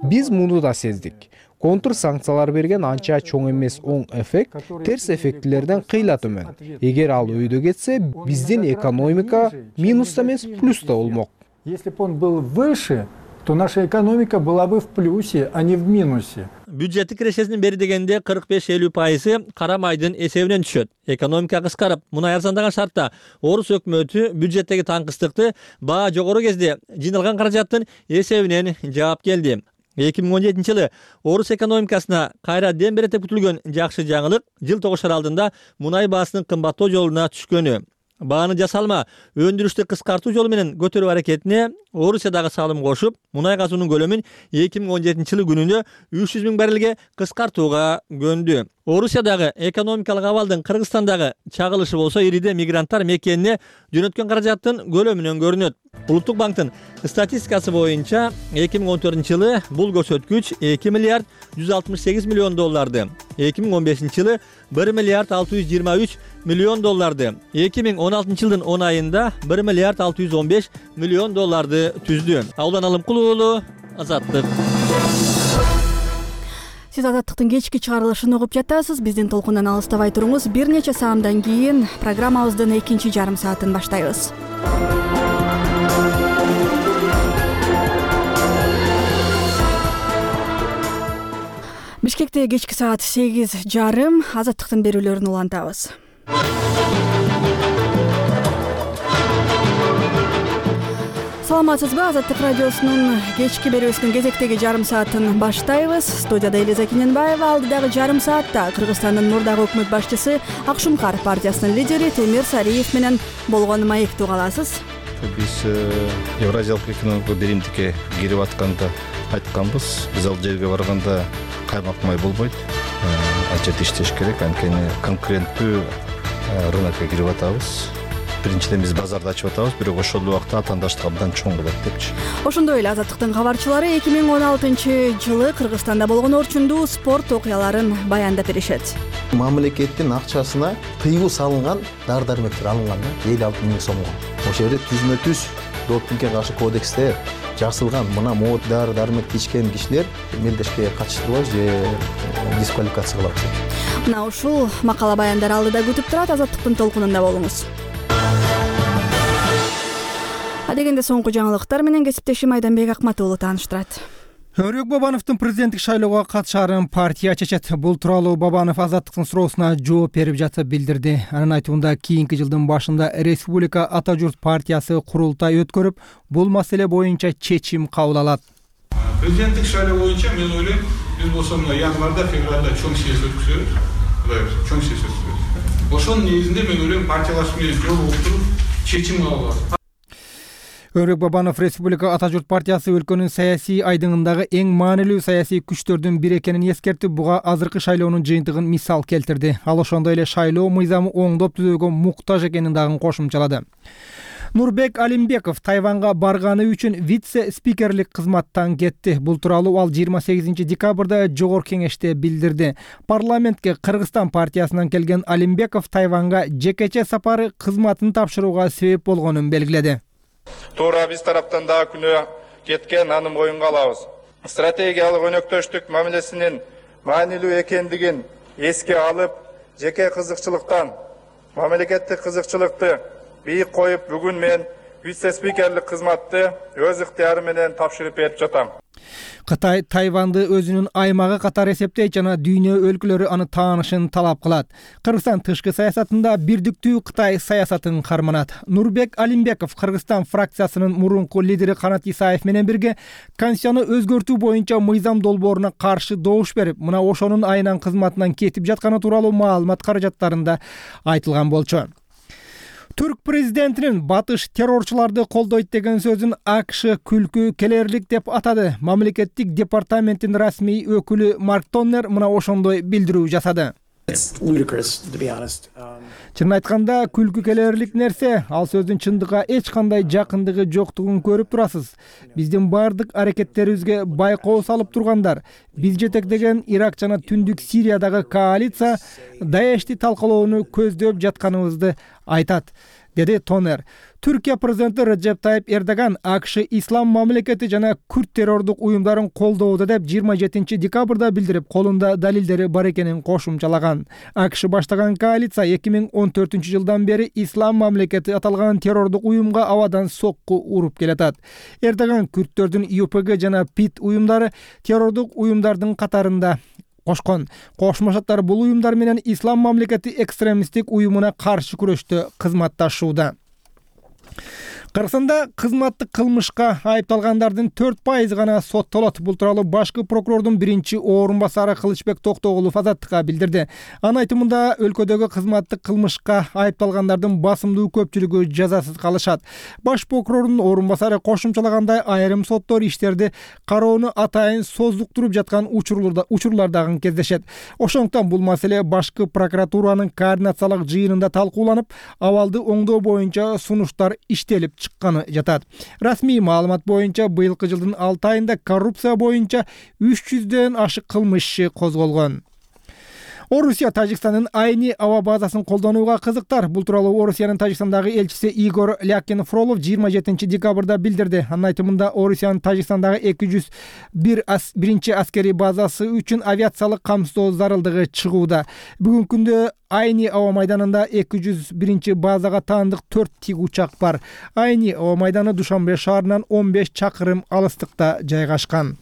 Биз муну да сездик. Контр санкциялар берген анча чоң эмес оң эффект терс эффектилерден кыйла төмөн. Эгер ал өйдө кетсе, биздин экономика минуста эмес плюста болмок. Если бы он был выше, то наша экономика была бы в плюсе, а не в минусе. Бюджеттик кирешесинин бери дегенде кырк беш элүү пайызы кара майдын эсебинен түшөт. Экономика кыскарып, мунай арзандаган шартта орус өкмөтү бюджеттеги таңкыстыкты баа жогору кезде жыйналган каражаттын эсебинен жаап келди. эки миң он жетинчи жылы орус экономикасына кайра дем берет деп күтүлгөн жакшы жаңылык жыл тогушар алдында мунай баасынын кымбаттоо жолуна түшкөнү. Бааны жасалма өндүрүштү кыскартуу жолу менен көтөрүү аракетине Орусиядагы салым кошуп, мунай казуунун көлөмүн эки миң он жетинчи жылы күнүнө үч жүз миң баррелге кыскартууга көндү. Орусиядагы экономикалык абалдын Кыргызстандагы чагылышы болсо ириде мигранттар мекенине жөнөткөн каражаттын көлөмүнөн көрүнөт. Улуттук банктын статистикасы боюнча эки миң он төртүнчү жылы бул көрсөткүч эки миллиард жүз алтымыш сегиз миллион долларды, эки миң он бешинчи жылы бир миллиард алты жүз жыйырма үч миллион долларды, эки миң он алтынчы жылдын он айында бир миллиард алты жүз он беш миллион долларды түздү. Аудан Алымкулуу уулу, Азаттык. Сиз Азаттыктын кечки чыгарылышын угуп жатасыз. Биздин толкундан алыстабай туруңуз. Бир нече саамдан кийин программабыздын экинчи жарым саатын баштайбыз. Бишкекте кечки саат сегиз жарым Азаттыктын берүүлөрүн улантабыз. Саламатсызбы? Азаттык радиосунун кечки берүүсүнүн кезектеги жарым саатын баштайбыз. Студияда Элиза Кененбаева. Алдыдагы жарым саатта Кыргызстандын мурдагы өкмөт башчысы Акшумкар партиясынын лидери Темир Сариев менен болгон маекти уга аласыз. Биз Евразиялык экономикалык биримдикке кирип атканда айтканбыз. Биз ал жерге барганда каймак май болбойт. Анча иштеш керек, анткени конкуренттүү рынокко кирип атабыз. Биринчиден биз базарды ачып атабыз, бирок ошол убакта атаандаштык абдан чоң болот депчи. Ошондой эле Азаттыктын кабарчылары эки миң он алтынчы жылы Кыргызстанда болгон орчундуу спорт окуяларын баяндап беришет. Мамлекеттин акчасына тыюу салынган дары-дармектер алынган да элүү алты миң сомго. Ошол жерде түзмө-түз допингге каршы кодексте жазылган мына могут дары-дармек ичкен кишилер мелдешке катыштырбайбыз же дисквалификация кылабыз. Мына ушул макала баяндар алдыда күтүп турат. Азаттыктын толкунунда болуңуз. Адегенде соңку жаңылыктар менен кесиптешим Айданбек Акматуулу тааныштырат. Өрөк Бабановдун президенттик шайлоого катышаарын партия чечет. Бул тууралуу Бабанов Азаттыктын суроосуна жооп берип жатып билдирди. Анын айтуунда кийинки жылдын башында Республика Ата журт партиясы курултай өткөрүп, бул маселе боюнча чечим кабыл алат. Президенттик шайлоо боюнча мен ойлойм, биз болсо мына январда, февралда чоң съезд өткүзөбүз. Чоң съезд өткүзөбүз. Ошонун негизинде мен ойлойм партиялашуу менен жолугуп туруп чечим кабыл алат. Өрөк Бабанов Республика Ата журт партиясы өлкөнүн саясий айдыңындагы эң маанилүү саясий күчтөрдүн бири экенин эскертип, буга азыркы шайлоонун жыйынтыгын мисал келтирди. Ал ошондой эле шайлоо мыйзамы оңдоп түзүүгө муктаж экенин дагы кошумчалады. Нурбек Алимбеков Тайванга барганы үчүн вице-спикерлик кызматтан кетти. Бул тууралуу ал жыйырма сегизинчи декабрда жогорку кеңеште билдирди. Парламентке Кыргызстан партиясынан келген Алимбеков Тайванга жекече сапары кызматын тапшырууга себеп болгонун белгиледи. Туура биз тараптан дагы күнөө кеткен, аны моюнга алабыз. Стратегиялык өнөктөштүк мамилесинин маанилүү экендигин эске алып, жеке кызыкчылыктан мамлекеттик кызыкчылыкты бийик коюп, бүгүн мен вице-спикерлик кызматты өз ыктыярым менен тапшырып берип жатам. Кытай Тайванды өзүнүн аймагы катары эсептейт жана дүйнө өлкөлөрү аны таанышын талап кылат. Кыргызстан тышкы саясатында бирдиктүү Кытай саясатын карманат. Нурбек Алимбеков Кыргызстан фракциясынын мурунку лидери Канат Исаев менен бирге конституцияны өзгөртүү боюнча мыйзам долбооруна каршы добуш берип, мына ошонун айынан кызматынан кетип жатканы тууралуу маалымат каражаттарында айтылган болчу. Түрк президентинин батыш террорчуларды колдойт деген сөзүн АКШ күлкү келерлик деп атады. Мамлекеттик департаменттин расмий өкүлү Марк Тоннер мына ошондой билдирүү жасады. Чынын айтканда, күлкү келерлик нерсе, ал сөздүн чындыкка эч кандай жакындыгы жоктугун көрүп турасыз. Биздин бардык аракеттерибизге байкоо салып тургандар, биз жетектеген Ирак жана Түндүк Сириядагы коалиция Даешти талкалоону көздөп жатканыбызды айтат, деди Тонер. Түркия президенти Реджеп Тайип Эрдоган АКШ ислам мамлекети жана күрд террордук уюмдарын колдоодо деп жыйырма жетинчи декабрда билдирип, колунда далилдери бар экенин кошумчалаган. АКШ баштаган коалиция эки миң он төртүнчү жылдан бери ислам мамлекети аталган террордук уюмга абадан сокку уруп келатат. Эрдоган күрдтөрдүн ЮПГ жана ПИД уюмдары террордук уюмдардын катарында кошкон. Кошмо Шаттар бул уюмдар менен ислам мамлекети экстремисттик уюмуна каршы күрөштө кызматташууда. Кыргызстанда кызматтык кылмышка айыпталгандардын төрт пайызы гана соттолот. Бул тууралуу башкы прокурордун биринчи орун басары Кылычбек Токтогулов Азаттыкка билдирди. Анын айтымында өлкөдөгү кызматтык кылмышка айыпталгандардын басымдуу көпчүлүгү жазасыз калышат. Баш прокурордун орун басары кошумчалагандай, айрым соттор иштерди кароону атайын создуктуруп жаткан учурлар дагы кездешет. Ошондуктан бул маселе башкы прокуратуранын координациялык жыйынында талкууланып, абалды оңдоо боюнча сунуштар иштелип чыкканы жатат. Расмий маалымат боюнча быйылкы жылдын алты айында коррупция боюнча үч жүздөн ашык кылмыш иши козголгон. Орусия Тажикстандын айни аба базасын колдонууга кызыктар. Бул тууралуу Орусиянын Тажикстандагы элчиси Игорь Лякин Фролов жыйырма жетинчи декабрда билдирди. Анын айтымында Орусиянын Тажикстандагы эки жүз биринчи аскерий базасы үчүн авиациялык камсыздоо зарылдыгы чыгууда. Бүгүнкү күндө Айни аба майданында эки жүз биринчи базага таандык төрт тик учак бар. Айни аба майданы Душанбе шаарынан он беш чакырым алыстыкта жайгашкан.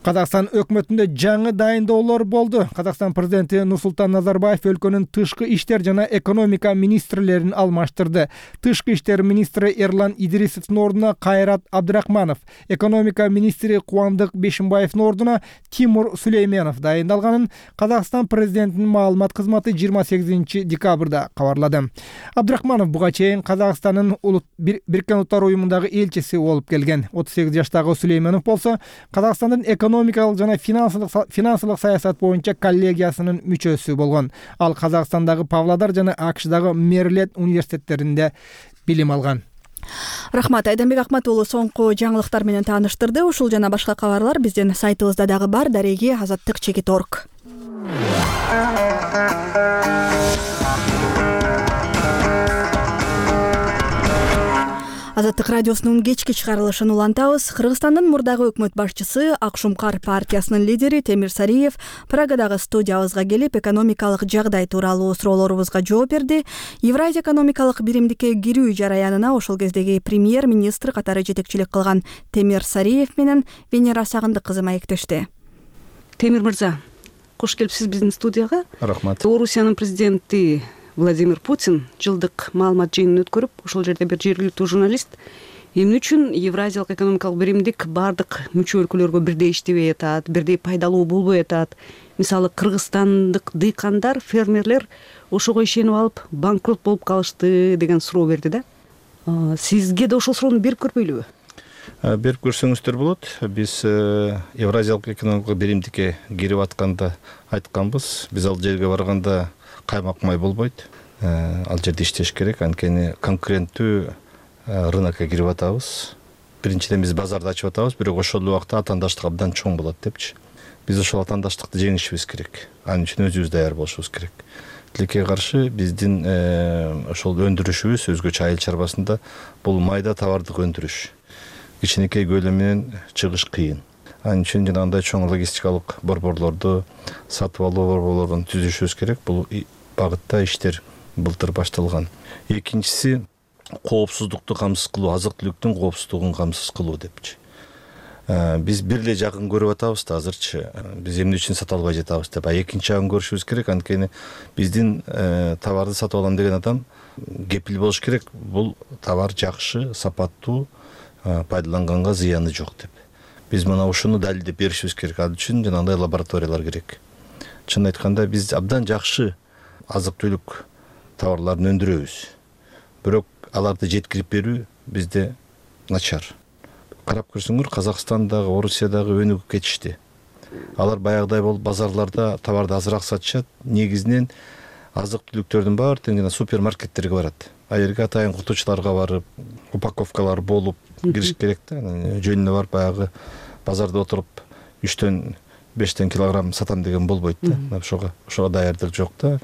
Казакстан өкмөтүндө жаңы дайындоолор болду. Казакстан президенти Нурсултан Назарбаев өлкөнүн тышкы иштер жана экономика министрлерин алмаштырды. Тышкы иштер министри Эрлан Идрисовдун ордуна Кайрат Абдрахманов, экономика министри Кубандык Бешимбаевдин ордуна Тимур Сулейменов дайындалганын Казакстан президентинин маалымат кызматы жыйырма сегизинчи декабрда кабарлады. Абдрахманов буга чейин Казакстандын Бириккен Улуттар уюмундагы элчиси болуп келген. отуз сегиз жаштагы Сулейменов болсо Казакстандын экономикалык жана финансылык саясат боюнча коллегиясынын мүчөсү болгон. Ал Казакстандагы Павлодар жана АКШдагы Мэриленд университеттеринде билим алган. Рахмат, Айданбек Акматуулу соңку жаңылыктар менен тааныштырды. Ушул жана башка кабарлар биздин сайтыбызда дагы бар. Дареги азаттык чекит точка орг. Азаттык радиосунун кечки чыгарылышын улантабыз. Кыргызстандын мурдагы өкмөт башчысы Акшумкар партиясынын лидери Темир Сариев Прагадагы студиябызга келип, экономикалык жагдай тууралуу суроолорубузга жооп берди. Евразия экономикалык биримдикке кирүү жараянына ошол кездеги премьер-министр катары жетекчилик кылган Темир Сариев менен Венера Сагындык кызы маектешти. Темир мырза, кош келипсиз биздин студияга. Рахмат. Орусиянын президенти Владимир Путин жылдык маалымат жыйынын өткөрүп, ошол жерде бир жергиликтүү журналист эмне үчүн Евразиялык экономикалык биримдик бардык мүчө өлкөлөргө бирдей иштебей атат, бирдей пайдалуу болбой атат. Мисалы, кыргызстандык дыйкандар, фермерлер ошого ишенип алып банкрот болуп калышты деген суроо берди да. Сизге да ошол суроону берип көрбөйлүбү? Берип көрсөңүздөр болот. Биз Евразиялык экономикалык биримдикке кирип атканда айтканбыз. Биз ал жерге барганда каймак май болбойт. Ал жерде иштеш керек, анткени конкуренттүү рынокко кирип атабыз. Биринчиден биз базарды ачып атабыз, бирок ошол убакта атаандаштык абдан чоң болот депчи. Биз ошол атаандаштыкты жеңишибиз керек. Анын үчүн өзүбүз даяр болушубуз керек. Тилекке каршы биздин ошол өндүрүшүбүз өзгөчө айыл чарбасында бул майда товардык өндүрүш. Кичинекей көлөм менен чыгыш кыйын. Анын үчүн жанагындай чоң логистикалык борборлорду, сатып алуу борборлорун түзүшүбүз керек. Бул багытта иштер былтыр башталган. Экинчиси коопсуздукту камсыз кылуу, азык-түлүктүн коопсуздугун камсыз кылуу депчи. Биз бир эле жагын көрүп атабыз да азырчы. Биз эмне үчүн сата албай жатабыз деп. А экинчи жагын көрүшүбүз керек, анткени биздин товарды сатып алам деген адам кепил болуш керек. Бул товар жакшы, сапаттуу, пайдаланганга зыяны жок деп. Биз мына ушуну далилдеп беришибиз керек. Ал үчүн жанагындай лабораториялар керек. Чын айтканда биз абдан жакшы азык-түлүк товарларын өндүрөбүз. Бирок аларды жеткирип берүү бизде начар. Карап көрсөңөр, Казакстандагы, Орусиядагы өнүгүп кетишти. Алар баягыдай болуп базарларда товарды азыраак сатышат. Негизинен азык-түлүктөрдүн баары тең жана супермаркеттерге барат. А жерге атайын кутучуларга барып, упаковкалар болуп кириш керек да. Жөнүнө барып баягы базарда отуруп үчтөн бештен килограмм сатам деген болбойт да. Ошого ошого даярдык жок да.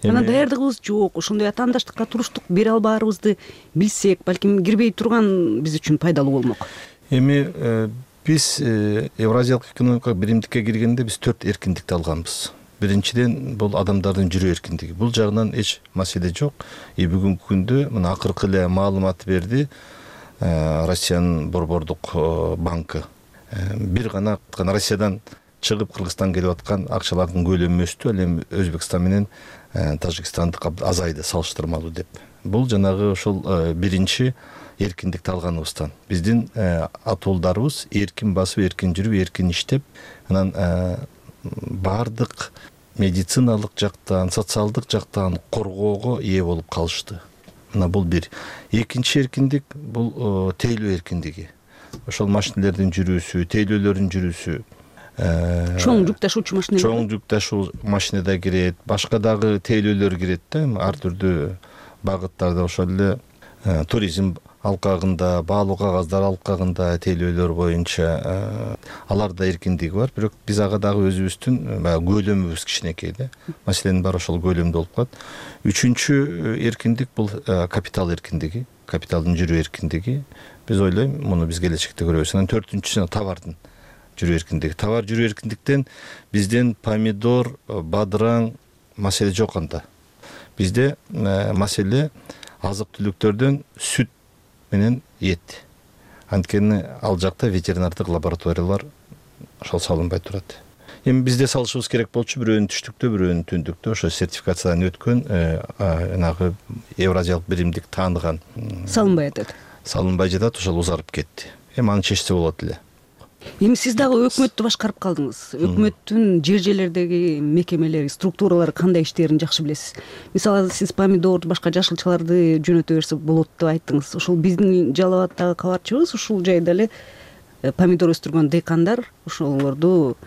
Ана даярдыгыбыз жок, ошондой атаандаштыкка туруштук бере албаарыбызды билсек, балким кирбей турган биз үчүн пайдалуу болмок. Эми биз Евразиялык экономикалык биримдикке киргенде биз төрт эркиндикти алганбыз. Биринчиден бул адамдардын жүрүү эркиндиги. Бул жагынан эч маселе жок. И бүгүнкү күндө мына акыркы эле маалымат берди Россиянын борбордук банкы. Бир гана Россиядан чыгып Кыргызстанга келип аткан акчалардын көлөмү өстү, ал эми Өзбекстан менен Тажикстандык азайды салыштырмалуу деп. Бул жанагы ошол биринчи эркиндикти алганыбыздан. Биздин атуулдарыбыз эркин басып, эркин жүрүп, эркин иштеп, анан баардык медициналык жактан, социалдык жактан коргоого ээ болуп калышты. Мына бул бир. Экинчи эркиндик бул тейлөө эркиндиги. Ошол машинелердин жүрүүсү, тейлөөлөрдүн жүрүүсү. Чоң жүк ташуучу машина. Чоң жүк ташуу машина да кирет, башка дагы тейлөөлөр кирет да, ар түрдүү багыттарда. Ошол эле туризм алкагында, баалуу кагаздар алкагында тейлөөлөр боюнча алар да эркиндиги бар. Бирок биз ага дагы өзүбүздүн баягы көлөмүбүз кичинекей да. Маселенин баары ошол көлөмдө болуп калат. Үчүнчү эркиндик бул капитал эркиндиги, капиталдын жүрүү эркиндиги. Биз ойлойм, муну биз келечекте көрөбүз. Анан төртүнчүсү товардын жүрүү эркиндиги. Товар жүрүү эркиндиктен бизден помидор, бадыраң маселе жок анда. Бизде маселе азык-түлүктөрдөн сүт менен эт. Анткени ал жакта ветеринардык лабораториялар ошол салынбай турат. Эми бизде салышыбыз керек болчу, бирөөнүн түштүктө, бирөөнүн түндүктө ошо сертификациядан өткөн, жанагы Евразиялык биримдик тааныган салынбай атат. Салынбай жатат, ошол узарып кетти. Эми аны чечсе болот эле. Эми сиз дагы өкмөттү башкарып калдыңыз. Өкмөттүн жер жерлердеги мекемелери, структуралары кандай иштерин жакшы билесиз. Мисалы, сиз помидор, башка жашылчаларды жөнөтө берсе болот деп айттыңыз. Ошол биздин Жалал абаддагы кабарчыбыз ушул жайда эле помидор өстүргөн дыйкандар ошолорду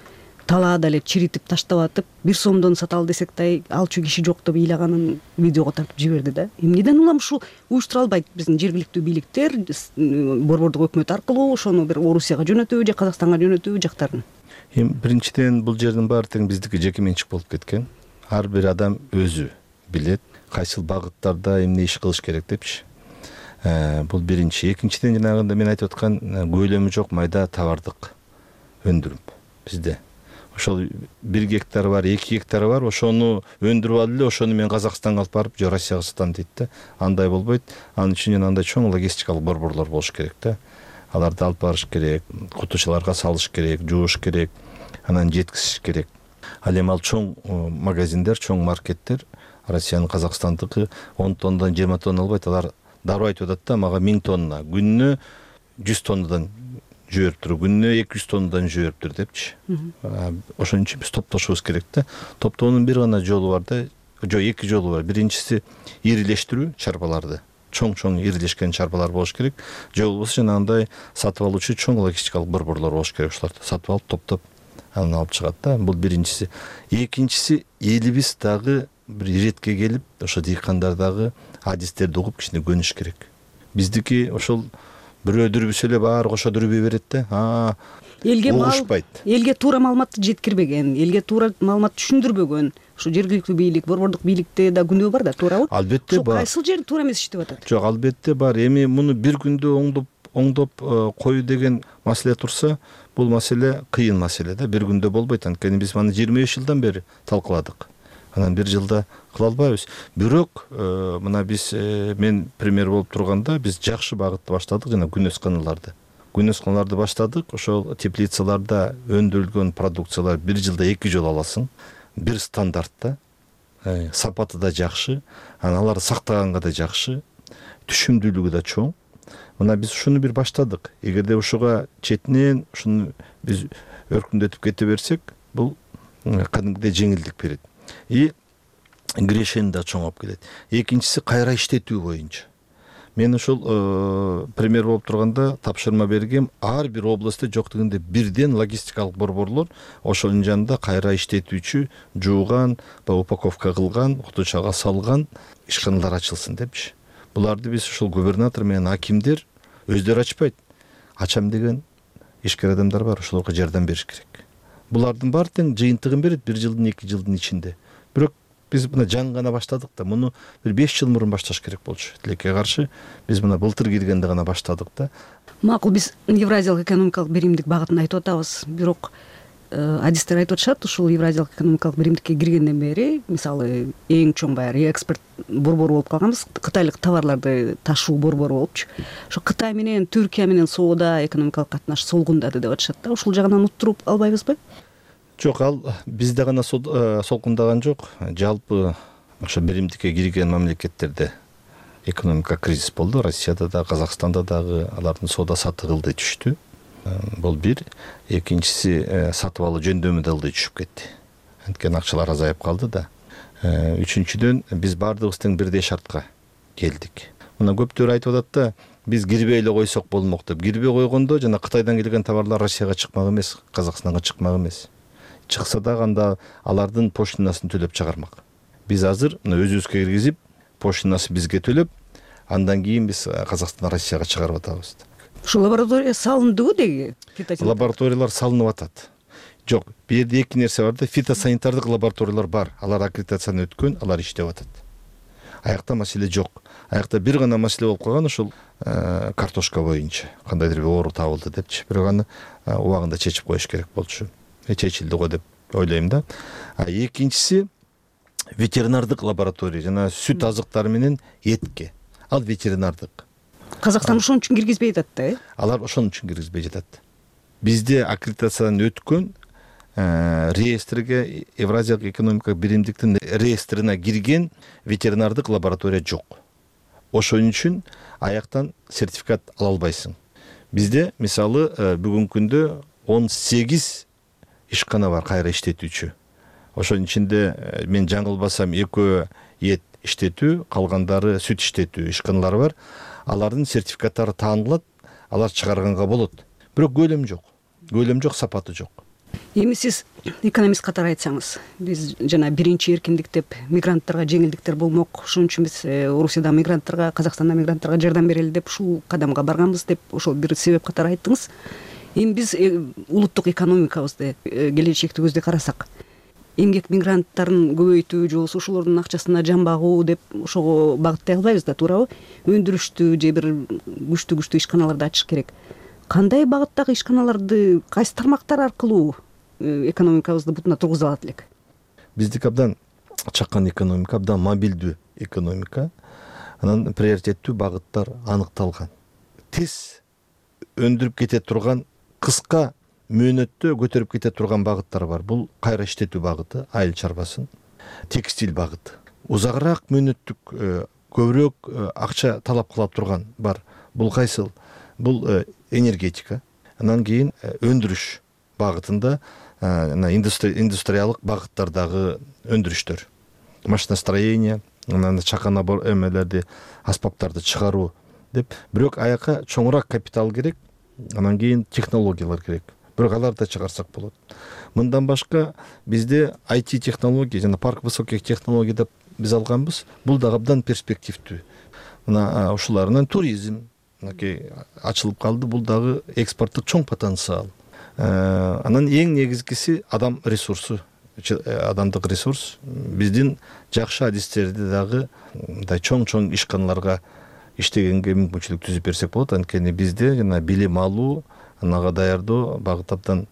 талаада эле чиритип таштап атып, бир сомдон саталы десек да алчу киши жок деп ыйлаганын видеого тартып жиберди да. Эмнеден улам ушул уюштура албайт биздин жергиликтүү бийликтер, борбордук өкмөт аркылуу ошону бир Орусияга жөнөтүүбү же Казакстанга жөнөтүүбү жактарын? Эми биринчиден бул жердин баары тең биздики жеке менчик болуп кеткен. Ар бир адам өзү билет кайсыл багыттарда эмне иш кылыш керек депчи. Бул биринчи. Экинчиден жанагында мен айтып аткан көлөмү жок майда товардык өндүрүм бизде. Ошол бир гектар бар, эки гектар бар, ошону өндүрүп алып эле, ошону мен Казакстанга алып барып, же Россияга сатам дейт да. Андай болбойт. Анын үчүн андай чоң логистикалык борборлор болуш керек да. Аларды алып барыш керек, кутучаларга салыш керек, жууш керек, анан жеткизиш керек. Ал эми ал чоң магазиндер, чоң маркеттер, Россиянын Казакстандыкы он тоннадан жыйырма тонна албайт. Алар дароо айтып атат да, мага миң тонна, күнүнө жүз тоннадан жөөп тур, күнүнө эки жүз тоннадан жөөп тур депчи. Ошон үчүн биз топтошубуз керек да. Топтоонун бир гана жолу бар да, жок, эки жолу бар. Биринчиси ирилештирүү чарбаларды. Чоң-чоң ирилешкен чарбалар болуш керек. Же болбосо жанагындай сатып алуучу чоң логистикалык борборлор болуш керек. Ошолорду сатып алып, топтоп анан алып чыгат да. Бул биринчиси. Экинчиси, элибиз дагы бир иретке келип, ошо дыйкандар дагы адистерди угуп кичине көнүш керек. Биздики ошол бирөө дүрбүсө эле баары кошо дүрбөй берет да. А элге угушпайт. Элге туура маалыматты жеткирбеген, элге туура маалымат түшүндүрбөгөн. Ушу жергиликтүү бийлик, борбордук бийликте да күнөө бар да, туурабы? Албетте бар. Кайсыл жер туура эмес иштеп атат? Жок, албетте бар. Эми муну бир күндө оңдоп оңдоп коюу деген маселе турса, бул маселе кыйын маселе да. Бир күндө болбойт. Анткени биз маны жыйырма беш жылдан бери талкууладык. Анан бир жылда кыла албайбыз. Бирок мына биз мен премьер болуп турганда биз жакшы багытты баштадык, жана күнөсканаларды. Күнөсканаларды баштадык. Ошол теплицаларда өндүрүлгөн продукциялар бир жылда эки жолу аласың. Бир стандартта, сапаты да жакшы, анан аларды сактаганга да жакшы, түшүмдүүлүгү да чоң. Мына биз ушуну бир баштадык. Эгерде ушуга четинен ушуну биз өркүндөтүп кете берсек, бул кадимгидей жеңилдик берет. И кирешени да чоңоп келет. Экинчиси кайра иштетүү боюнча. Мен ошол премьер болуп турганда тапшырма бергем, ар бир областта жок дегенде бирден логистикалык борборлор ошонун жанында кайра иштетүүчү, жууган, упаковка кылган, кутучага салган ишканалар ачылсын депчи. Буларды биз ушул губернатор менен акимдер өздөрү ачпайт. Ачам деген ишкер адамдар бар, ошолорго жардам бериш керек. Булардын баары тең жыйынтыгын берет бир жылдын, эки жылдын ичинде. Бирок биз мына жаңы гана баштадык да, муну бир беш жыл мурун башташ керек болчу. Тилекке каршы биз мына былтыр киргенде гана баштадык да. Макул, биз Евразиялык экономикалык биримдик багытын айтып атабыз. Бирок адистер айтып атышат, ушул Евразиялык экономикалык биримдикке киргенден бери, мисалы, эң чоң баягы экспорт борбору болуп калганбыз, кытайлык товарларды ташуу борбору болупчу. Ошо Кытай менен Түркия менен соода, экономикалык катнаш солгундады деп атышат да. Ушул жагынан уттуруп албайбызбы? Жок, ал бизде гана солкундаган жок. Жалпы ошо биримдикке кирген мамлекеттерде экономика кризис болду. Россияда да, Казакстанда дагы алардын соода саттык ылдый түштү. Бул бир. Экинчиси сатып алуу жөндөмү да ылдый түшүп кетти. Анткени акчалар азайып калды да. Үчүнчүдөн биз баардыгыбыз тең бирдей шартка келдик. Мына көптөр айтып атат да, биз кирбей эле койсок болмок деп. Кирбей койгондо жана Кытайдан келген товарлар Россияга чыкмак эмес, Казакстанга чыкмак эмес. Чыкса дагы анда алардын поштанасын төлөп чыгармак. Биз азыр мына өзүбүзгө киргизип, поштанасын бизге төлөп, андан кийин биз Казакстандан Россияга чыгарып атабыз. Ушул лаборатория салындыбы деги? Лабораториялар салынып атат. Жок, бул жерде эки нерсе бар да, фитосанитардык лабораториялар бар. Алар аккредитацияны өткөн, алар иштеп атат. Аякта маселе жок. Аякта бир гана маселе болуп калган, ушул картошка боюнча. Кандайдыр бир оору табылды депчи. Бирок аны убагында чечип коюш керек болчу. Чечилди го деп ойлойм да. А экинчиси ветеринардык лаборатория, жана сүт азыктары менен этке. Ал ветеринардык. Казакстан ошон үчүн киргизбей жатат да, э? Алар ошон үчүн киргизбей жатат. Бизде аккредитациядан өткөн реестрге, Евразиялык экономикалык биримдиктин реестрине кирген ветеринардык лаборатория жок. Ошон үчүн аяктан сертификат ала албайсың. Бизде мисалы бүгүнкү күндө он сегиз ишкана бар кайра иштетүүчү. Ошонун ичинде мен жаңылбасам экөө эт иштетүү, калгандары сүт иштетүү ишканалары бар. Алардын сертификаттары таанылат, алар чыгарганга болот. Бирок көлөм жок. Көлөм жок, сапаты жок. Эми сиз экономист катары айтсаңыз, биз жана биринчи эркиндик деп мигранттарга жеңилдиктер болмок, ошон үчүн биз Орусияда мигранттарга, Казакстанда мигранттарга жардам берели деп ушул кадамга барганбыз деп ошол бир себеп катары айттыңыз. Эми биз улуттук экономикабызды келечекти көздөй карасак, эмгек мигранттарын көбөйтүү же болбосо ошолордун акчасына жан багуу деп ошого багыттай албайбыз да, туурабы? Өндүрүштү же бир күчтүү күчтүү ишканаларды ачыш керек. Кандай багыттагы ишканаларды, кайсы тармактар аркылуу экономикабызды бутуна тургуза алат элек? Биздики абдан чакан экономика, абдан мобилдүү экономика. Анан приоритеттүү багыттар аныкталган. Тез өндүрүп кете турган, кыска мөөнөттө көтөрүп кете турган багыттар бар. Бул кайра иштетүү багыты, айыл чарбасын, текстиль багыты. Узагыраак мөөнөттүк, көбүрөөк акча талап кыла турган бар. Бул кайсыл? Бул энергетика. Андан кийин өндүрүш багытында индустриялык багыттардагы өндүрүштөр. Машиностроение, анан чакан эмелерди, аспаптарды чыгаруу деп. Бирок аяка чоңураак капитал керек, анан кийин технологиялар керек. Бирок аларды чыгарсак болот. Мындан башка бизде ай ти технология жана парк высоких технологий деп биз алганбыз. Бул да абдан перспективдүү. Мына ушуларынан туризм ачылып калды. Бул дагы экспорттук чоң потенциал. Анан эң негизгиси адам ресурсу, адамдык ресурс. Биздин жакшы адистерди дагы мындай чоң-чоң ишканаларга иштегенге мүмкүнчүлүк түзүп берсек болот. Анткени бизде жана билим алуу, анага даярдоо багыт абдан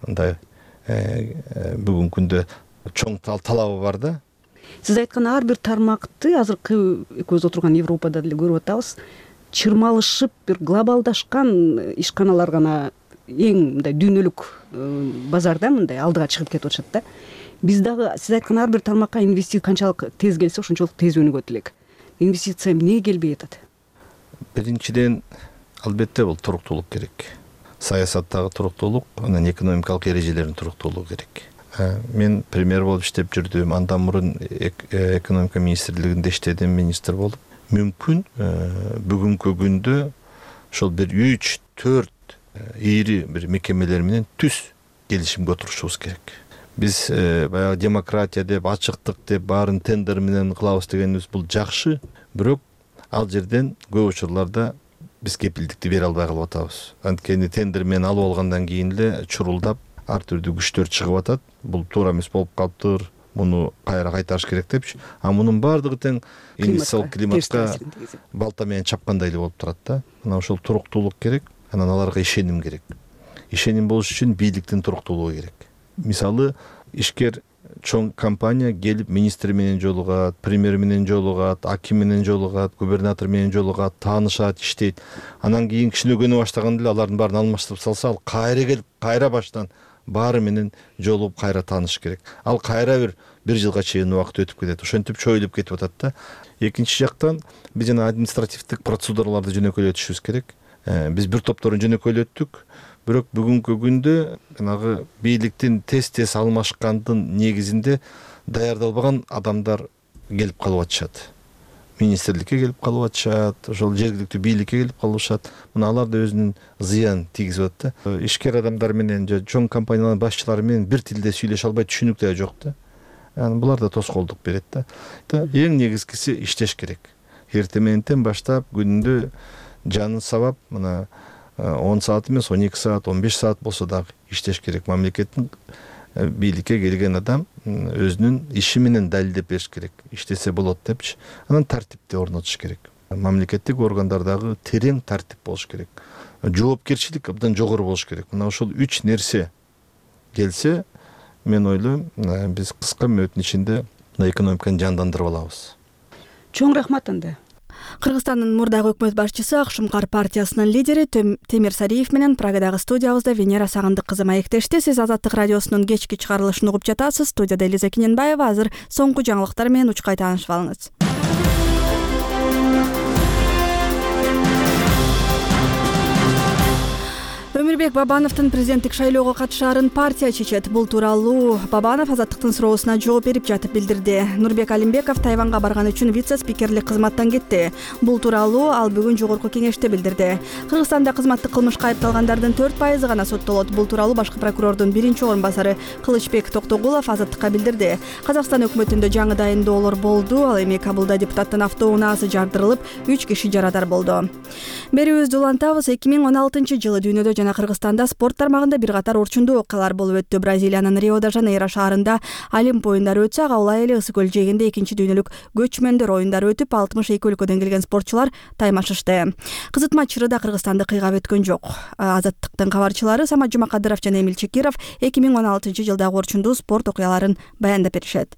мындай бүгүнкү күндө чоң талабы бар да. Сиз айткан ар бир тармакты азыркы экөөбүз отурган Европада деле көрүп атабыз. Чырмалышып бир глобалдашкан ишканалар гана эң мындай дүйнөлүк базарда мындай алдыга чыгып кетип атышат да. Биз дагы сиз айткан ар бир тармакка инвестиция канчалык тез келсе, ошончолук тез өнүгөт элек. Инвестиция эмне келбей атат? Биринчиден, албетте бул туруктуулук керек. Саясаттагы туруктуулук, анан экономикалык эрежелердин туруктуулугу керек. Мен премьер болуп иштеп жүрдүм, андан мурун экономика министрлигинде иштедим, министр болуп. Мүмкүн бүгүнкү күндө ошол бир үч төрт ири бир мекемелер менен түз келишимге отурушубуз керек. Биз баягы демократия деп, ачыктык деп, баарын тендер менен кылабыз дегенибиз бул жакшы, бирок ал жерден көп учурларда биз кепилдикти бере албай калып атабыз. Анткени тендер менен алып алгандан кийин эле чурулдап ар түрдүү күчтөр чыгып атат. Бул туура эмес болуп калыптыр, муну кайра кайтарыш керек депчи. А мунун баардыгы тең инвестициялык климатка балта менен чапкандай эле болуп турат да. Мына ошол туруктуулук керек, анан аларга ишеним керек. Ишеним болуш үчүн бийликтин туруктуулугу керек. Мисалы, ишкер чоң компания келип министр менен жолугат, премьер менен жолугат, аким менен жолугат, губернатор менен жолугат, таанышат, иштейт. Анан кийин кичине көнө баштаганда эле алардын баарын алмаштырып салса, ал кайра келип, кайра баштан баары менен жолугуп кайра тааныш керек. Ал кайра бир бир жылга чейин убакыт өтүп кетет. Ошентип чоюлуп кетип атат да. Экинчи жактан биз жана административдик процедураларды жөнөкөйлөтүшүбүз керек. Биз бир топторун жөнөкөйлөттүк. Бирок бүгүнкү күндө жанагы бийликтин тез-тез алмашкандын негизинде даярдалбаган адамдар келип калып атышат. Министрликке келип калып атышат, ошол жергиликтүү бийликке келип калышат. Мына алар да өзүнүн зыянын тийгизип атат да. Ишкер адамдар менен же чоң компаниялардын башчылары менен бир тилде сүйлөшө албай түшүнүк да жок да. Яны булар да тоскоолдук берет да. Эң негизгиси иштеш керек. Эртең мененден баштап күнүндө жанын сабап, мына он саат эмес, он эки саат, он беш саат болсо дагы иштеш керек. Мамлекеттин бийликке келген адам өзүнүн иши менен далилдеп бериш керек. Иштесе болот депчи. Анан тартипти орнотуш керек. Мамлекеттик органдардагы терең тартип болуш керек. Жоопкерчилик абдан жогору болуш керек. Мына ошол үч нерсе келсе, мен ойлойм, биз кыска мөөнөттүн ичинде экономиканы жандандырып алабыз. Чоң рахмат анда. Кыргызстандын мурдагы өкмөт башчысы Ак Шумкар партиясынын лидери Темир Сариев менен Прагадагы студиябызда Венера Сагындык кызы маектешти. Сиз Азаттык радиосунун кечки чыгарылышын угуп жатасыз. Студияда Элиза Кененбаева. Азыр соңку жаңылыктар менен учкай таанышып алыңыз. Өмүрбек Бабановдун президенттик шайлоого катышаарын партия чечет. Бул тууралуу Бабанов Азаттыктын суроосуна жооп берип жатып билдирди. Нурбек Алимбеков Тайванга барган үчүн вице-спикерлик кызматтан кетти. Бул тууралуу ал бүгүн жогорку кеңеште билдирди. Кыргызстанда кызматтык кылмышка айыпталгандардын төрт пайызы гана соттолот. Бул тууралуу башкы прокурордун биринчи орун басары Кылычбек Токтогулов Азаттыкка билдирди. Казакстан өкмөтүндө жаңы дайындоолор болду. Ал эми Кабылда депутаттын автоунаасы жардырылып, үч киши жарадар болду. Берүүбүздү улантабыз. эки миң он алтынчы жылы дүйнөдө жана Кыргызстанда спорт тармагында бир катар орчундуу окуялар болуп өттү. Бразилиянын Рио-де-Жанейро шаарында Олимп оюндары өтсө, ага улай эле Ысык көл жээгинде экинчи дүйнөлүк көчмөндөр оюндары өтүп, алтымыш эки өлкөдөн келген спортчулар таймашышты. Кызытма чырыда Кыргызстанды кыйгап өткөн жок. Азаттыктын кабарчылары Самат Жумакадыров жана Эмил Чекиров эки миң он алтынчы жылдагы орчундуу спорт окуяларын баяндап беришет.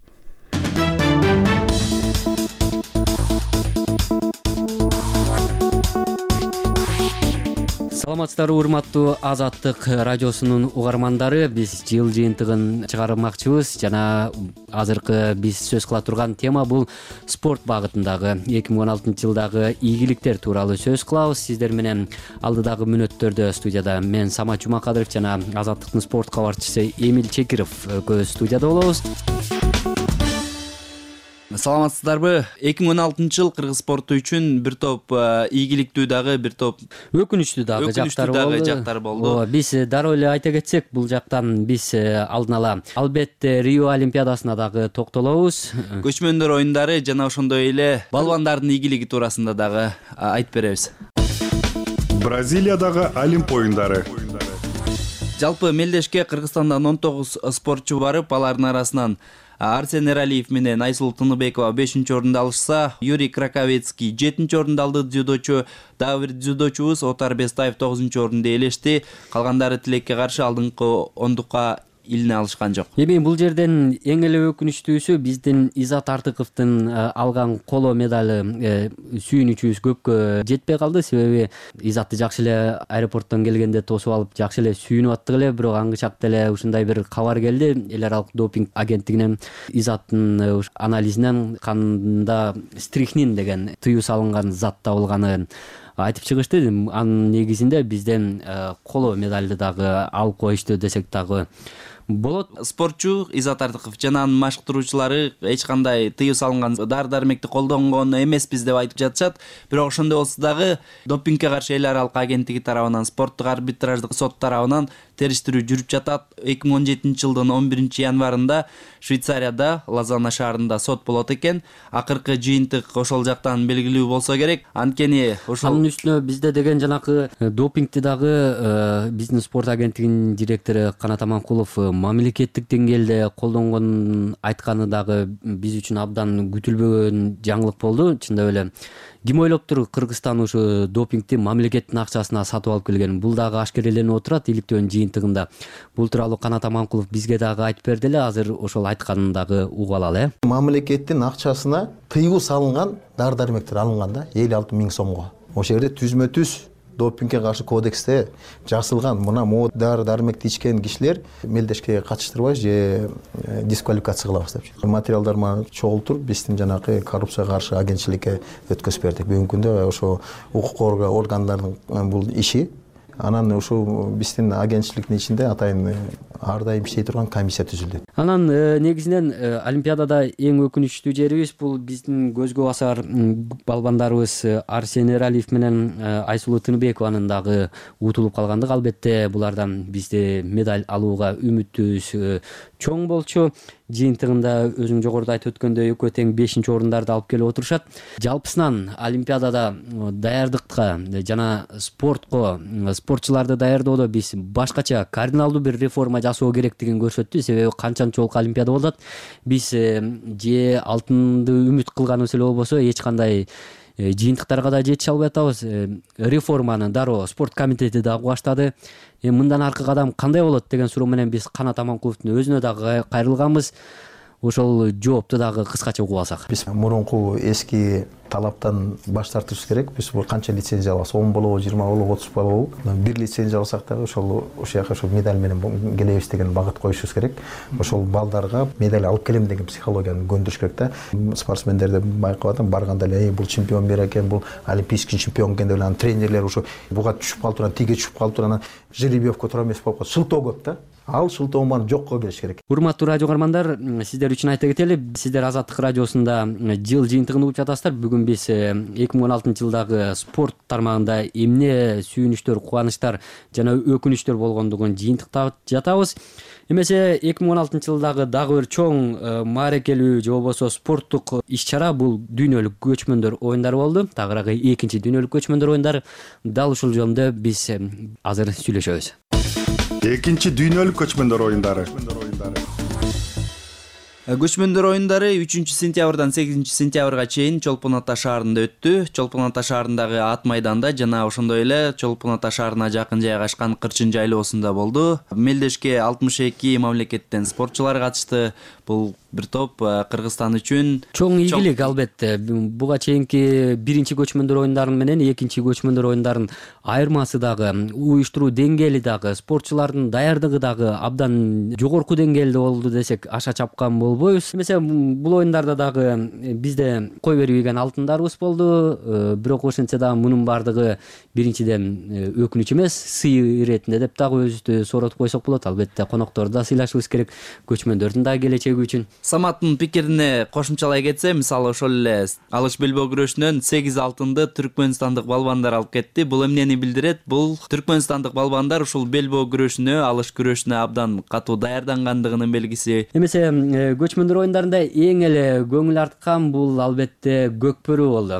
Саламатсыздарбы, урматтуу Азаттык радиосунун угармандары. Биз жыл жыйынтыгын чыгармакчыбыз жана азыркы биз сөз кыла турган тема бул спорт багытындагы эки миң он алтынчы жылдагы ийгиликтер тууралуу сөз кылабыз. Сиздер менен алдыдагы мүнөттөрдө студияда мен Самат Жумакадыров жана Азаттыктын спорт кабарчысы Эмил Чекиров экөөбүз студияда болобуз. Саламатсыздарбы? эки миң он алтынчы жыл кыргыз спорту үчүн бир топ ийгиликтүү дагы, бир топ өкүнүчтүү дагы жактар болду. Биз дароо эле айта кетсек, бул жактан биз алдын ала албетте Рио Олимпиадасына дагы токтолобуз. Көчмөндөр оюндары жана ошондой эле балбандардын ийгилиги туурасында дагы айтып беребиз. Бразилиядагы Олимп оюндары. Жалпы мелдешке Кыргызстандан он тогуз спортчу барып, алардын арасынан Арсен Эралиев менен Айсулуу Тыныбекова бешинчи орунду алышса, Юрий Краковецкий жетинчи орунду алды. Дзюдочу дагы бир дзюдочубуз Отар Бестаев тогузунчу орунду ээлешти. Калгандары тилекке каршы алдыңкы ондукка илине алышкан жок. Эми бул жерден эң эле өкүнүчтүүсү биздин Изат Артыковдун алган коло медали сүйүнүчүбүз көпкө жетпей калды. Себеби Изатты жакшы эле аэропорттон келгенде тосуп алып, жакшы эле сүйүнүп аттык эле, бирок аңгычакта эле ушундай бир кабар келди. Эл аралык допинг агенттигинен Изаттын анализинен канда стрихнин деген тыюу салынган зат табылганын айтып чыгышты. Анын негизинде бизден коло медалды дагы алып коюшту десек дагы болот. Спортчу Изат Артыков жана анын машыктыруучулары эч кандай тыюу салынган дары-дармекти колдонгон эмеспиз деп айтып жатышат. Бирок ошондой болсо дагы допингге каршы эл аралык агенттиги тарабынан, спорттук арбитраждык сот тарабынан териштирүү жүрүп жатат. эки миң он жетинчи жылдын он биринчи январында Швейцарияда Лозанна шаарында сот болот экен. Акыркы жыйынтык ошол жактан белгилүү болсо керек. Анткени ошол анын үстүнө бизде деген жанакы допингти дагы биздин спорт агенттигинин директору Канат Аманкулов мамлекеттик деңгээлде колдонгонун айтканы дагы биз үчүн абдан күтүлбөгөн жаңылык болду. Чындап эле ким ойлоптур Кыргызстан ушу допингти мамлекеттин акчасына сатып алып келген? Бул дагы ашкереленип отурат иликтөөнүн жыйынтыгында. Бул тууралуу Канат Аманкулов бизге дагы айтып берди эле. Азыр ошол айтканын дагы угуп алалы. э Мамлекеттин акчасына тыюу салынган дары-дармектер алынган да элүү алты миң сомго. Ошол жерде түзмө түз допингге каршы кодексте жазылган мына могу дары дармекти ичкен кишилер мелдешке катыштырбай же дисквалификация кылабыз деп материалдар мага чогултуруп биздин жанагы коррупцияга каршы агентчиликке өткөзүп бердик. Бүгүнкү күндө ошо укук коргоо органдарынын бул иши анан ушул биздин агентчиликтин ичинде атайын ар дайым иштей турган комиссия түзүлдү. Анан негизинен Олимпиадада эң өкүнүчтүү жерибиз бул биздин көзгө басар балбандарыбыз Арсен Эралиев менен Айсулуу Тыныбекованын дагы утулуп калгандыгы. Албетте булардан бизде медаль алууга үмүтүбүз чоң болчу. Жыйынтыгында өзүң жогоруда айтып өткөндөй экөө тең бешинчи орундарды алып келип отурушат. Жалпысынан Олимпиадада даярдыкка жана спортко, спортчуларды даярдоодо биз башкача кардиналдуу бир реформа жасоо керектигин көрсөттү. Себеби канчанчолук Олимпиада болуп атат. Биз же алтынды үмүт кылганыбыз эле болбосо эч кандай жыйынтыктарга да жетише албай атабыз. Реформаны дароо спорт комитети дагы баштады. Мындан аркы кадам кандай болот деген суроо менен биз Канат Аманкуловдун өзүнө дагы кайрылганбыз. Ошол жоопту дагы кыскача угуп алсак. Биз мурунку эски талаптан баш тартышыбыз керек. Биз бул канча лицензия алабыз? он болобу, жыйырма болобу, отуз болобу? Бир лицензия алсак дагы ошол ошол жака ошол медаль менен келебиз деген багыт коюшубуз керек. Ошол балдарга медаль алып келем деген психологияны көндүрүш керек да. Спортсмендерди байкап атам, барганда эле бул чемпион бер экен, бул олимпийский чемпион экен деп анан тренерлер ошо буга түшүп калып турган, тиге түшүп калып турган, жеребьевка туура эмес болуп калат. Шылтоо көп да. Ал шылтоонун баарын жокко келиш керек. Урматтуу радио каармандар, сиздер үчүн айта кетели, сиздер Азаттык радиосунда жыл жыйынтыгын угуп жатасыздар. Бүгүн биз эки миң он алтынчы жылдагы спорт тармагында эмне сүйүнүчтөр, кубанычтар жана өкүнүчтөр болгондугун жыйынтыктап жатабыз. Эмесе эки миң он алтынчы жылдагы дагы бир чоң маарекелүү же болбосо спорттук иш-чара бул дүйнөлүк көчмөндөр оюндары болду. Тагыраагы экинчи дүйнөлүк көчмөндөр оюндары. Дал ушул жөнүндө биз азыр сүйлөшөбүз. Экинчи дүйнөлүк көчмөндөр оюндары. Көчмөндөр оюндары үчүнчү сентябрдан сегизинчи сентябрга чейин Чолпон Ата шаарында өттү. Чолпон Ата шаарындагы ат майданда жана ошондой эле Чолпон Ата шаарына жакын жайгашкан Кырчын жайлоосунда болду. Мелдешке алтымыш эки мамлекеттен спортчулар катышты. Бул бир топ Кыргызстан үчүн чоң ийгилик албетте. Буга чейинки биринчи көчмөндөр оюндары менен экинчи көчмөндөр оюндарын айырмасы дагы, уюштуруу деңгээли дагы, спортчулардын даярдыгы дагы абдан жогорку деңгээлде болду десек аша чапкан болбойбуз. Эмесе бул оюндарда дагы бизде кой бербеген алтындарыбыз болду. Бирок ошентсе дагы мунун баардыгы биринчиден өкүнүч эмес, сый иретинде деп дагы өзүбүздү сооротуп койсок болот. Албетте конокторду да сыйлашыбыз керек, көчмөндөрдүн дагы келечеги үчүн. Саматтын пикирине кошумчалай кетсе, мисалы ошол эле алыш белбөө күрөшүнөн сегиз алтынды түркмөнстандык балбандар алып кетти. Бул эмнени билдирет? Бул түркмөнстандык балбандар ушул белбөө күрөшүнө, алыш күрөшүнө абдан катуу даярдангандыгынын белгиси. Эмесе көчмөндөр оюндарында эң эле көңүл арткан бул албетте көкбөрү болду.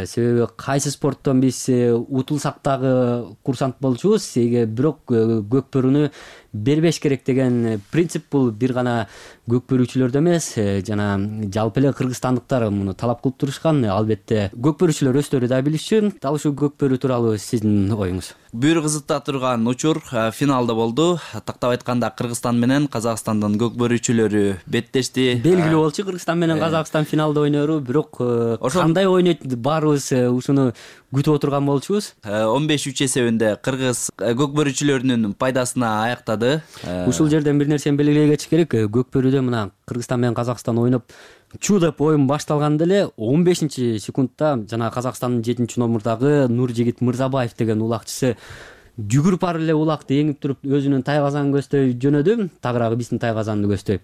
Себеби кайсы спорттон биз утулсак дагы курсант болчубуз, бирок көкбөрүнү бербеш керек деген принцип бул бир гана көкбөрүүчүлөрдө эмес, жана жалпы эле кыргызстандыктар муну талап кылып турушкан. Албетте көкбөрүүчүлөр өздөрү да билишчү. Дал ушул көкбөрүү тууралуу сиздин оюңуз? Бүйүр кызыта турган учур финалда болду. Тактап айтканда Кыргызстан менен Казакстандын көкбөрүүчүлөрү беттешти. Белгилүү болчу Кыргызстан менен Казакстан финалда ойнору, бирок кандай ойнойт баарыбыз ушуну күтүп отурган болчубуз. он беш үч эсебинде Кыргыз көкбөрүүчүлөрүнүн пайдасына аяктады. Ушул жерден бир нерсени белгилей кетиш керек. Көкбөрүүдө мына Кыргызстан менен Казакстан ойноп чуу деп оюн башталганда эле он бешинчи секундта жана Казакстандын жетинчи номурдагы Нуржигит Мырзабаев деген улакчысы жүгүрүп барып эле улакты эңип туруп өзүнүн тайгазанын көздөй жөнөдү. Тагыраагы биздин тайгазанды көздөй.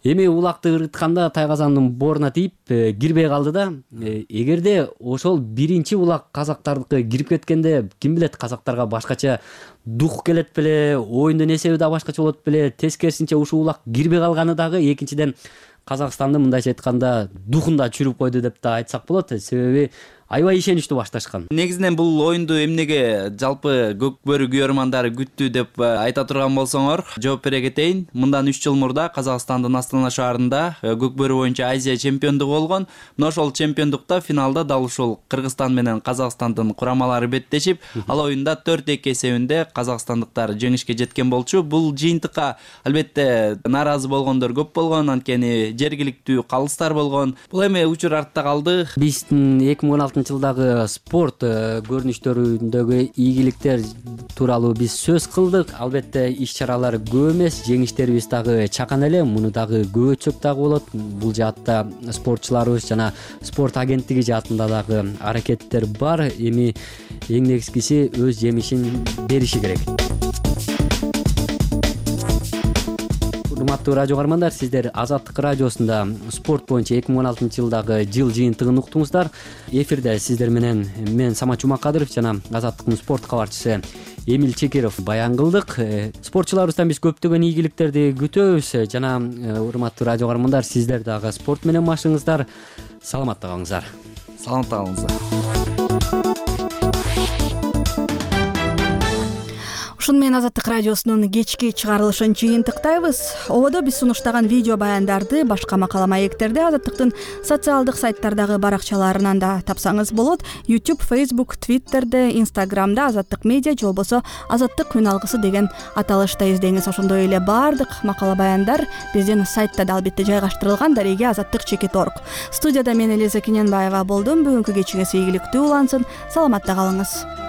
Эми улакты ырытканда тайгазандын бооруна тийип кирбей калды да. Эгерде ошол биринчи улак казактардыкы кирип кеткенде, ким билет, казактарга башкача дух келет беле, оюндун эсеби да башкача болот беле. Тескерисинче ушул улак кирбей калганы дагы экинчиден Казакстанды мындайча айтканда духунда чүрүп койду деп да айтсак болот. Себеби аябай ишеничтүү башташкан. Негизинен бул оюнду эмнеге жалпы көкбөрү күйөрмандары күттү деп айта турган болсоңор, жооп бере кетейин. Мындан үч жыл мурда Казакстандын Астана шаарында көкбөрү боюнча Азия чемпиондугу болгон. Мына ошол чемпиондукта финалда дал ушул Кыргызстан менен Казакстандын курамалары беттешип, ал оюнда төрт эки эсебинде казакстандыктар жеңишке жеткен болчу. Бул жыйынтыкка албетте нааразы болгондор көп болгон, анткени жергиликтүү калыстар болгон. Бул эми учур артта калды. Биздин эки миң он алтынчы алтынчы жылдагы спорт көрүнүштөрүндөгү ийгиликтер тууралуу биз сөз кылдык. Албетте иш чаралар көп эмес, жеңиштерибиз дагы чакан эле, муну дагы көп өтсөк дагы болот. Бул жаатта спортчуларыбыз жана спорт агенттиги жаатында дагы аракеттер бар. Эми эң негизгиси өз жемишин бериши керек. Урматтуу радио каармандар, сиздер Азаттык радиосунда спорт боюнча эки миң он алтынчы жылдагы жыл жыйынтыгын уктуңуздар. Эфирде сиздер менен мен Самат Жумакадыров жана Азаттыктын спорт кабарчысы Эмил Чекиров баян кылдык. Спортчуларыбыздан биз көптөгөн ийгиликтерди күтөбүз жана урматтуу радио каармандар, сиздер дагы спорт менен машыгыңыздар. Саламатта калыңыздар. Саламатта калыңыздар. Ушуну менен Азаттык радиосунун кечки чыгарылышын жыйынтыктайбыз. Ободо биз сунуштаган видео баяндарды, башка макала маектерди Азаттыктын социалдык сайттардагы баракчаларынан да тапсаңыз болот. YouTube, Facebook, Twitterде, Instagramда Азаттык медиа же болбосо Азаттык күн алгысы деген аталышта издеңиз. Ошондой эле баардык макала баяндар биздин сайтта да албетте жайгаштырылган. Дареге азаттык чекит точка орг. Студияда мен Элиза Кененбаева болдум. Бүгүнкү кечиңиз ийгиликтүү улансын. Саламатта калыңыз.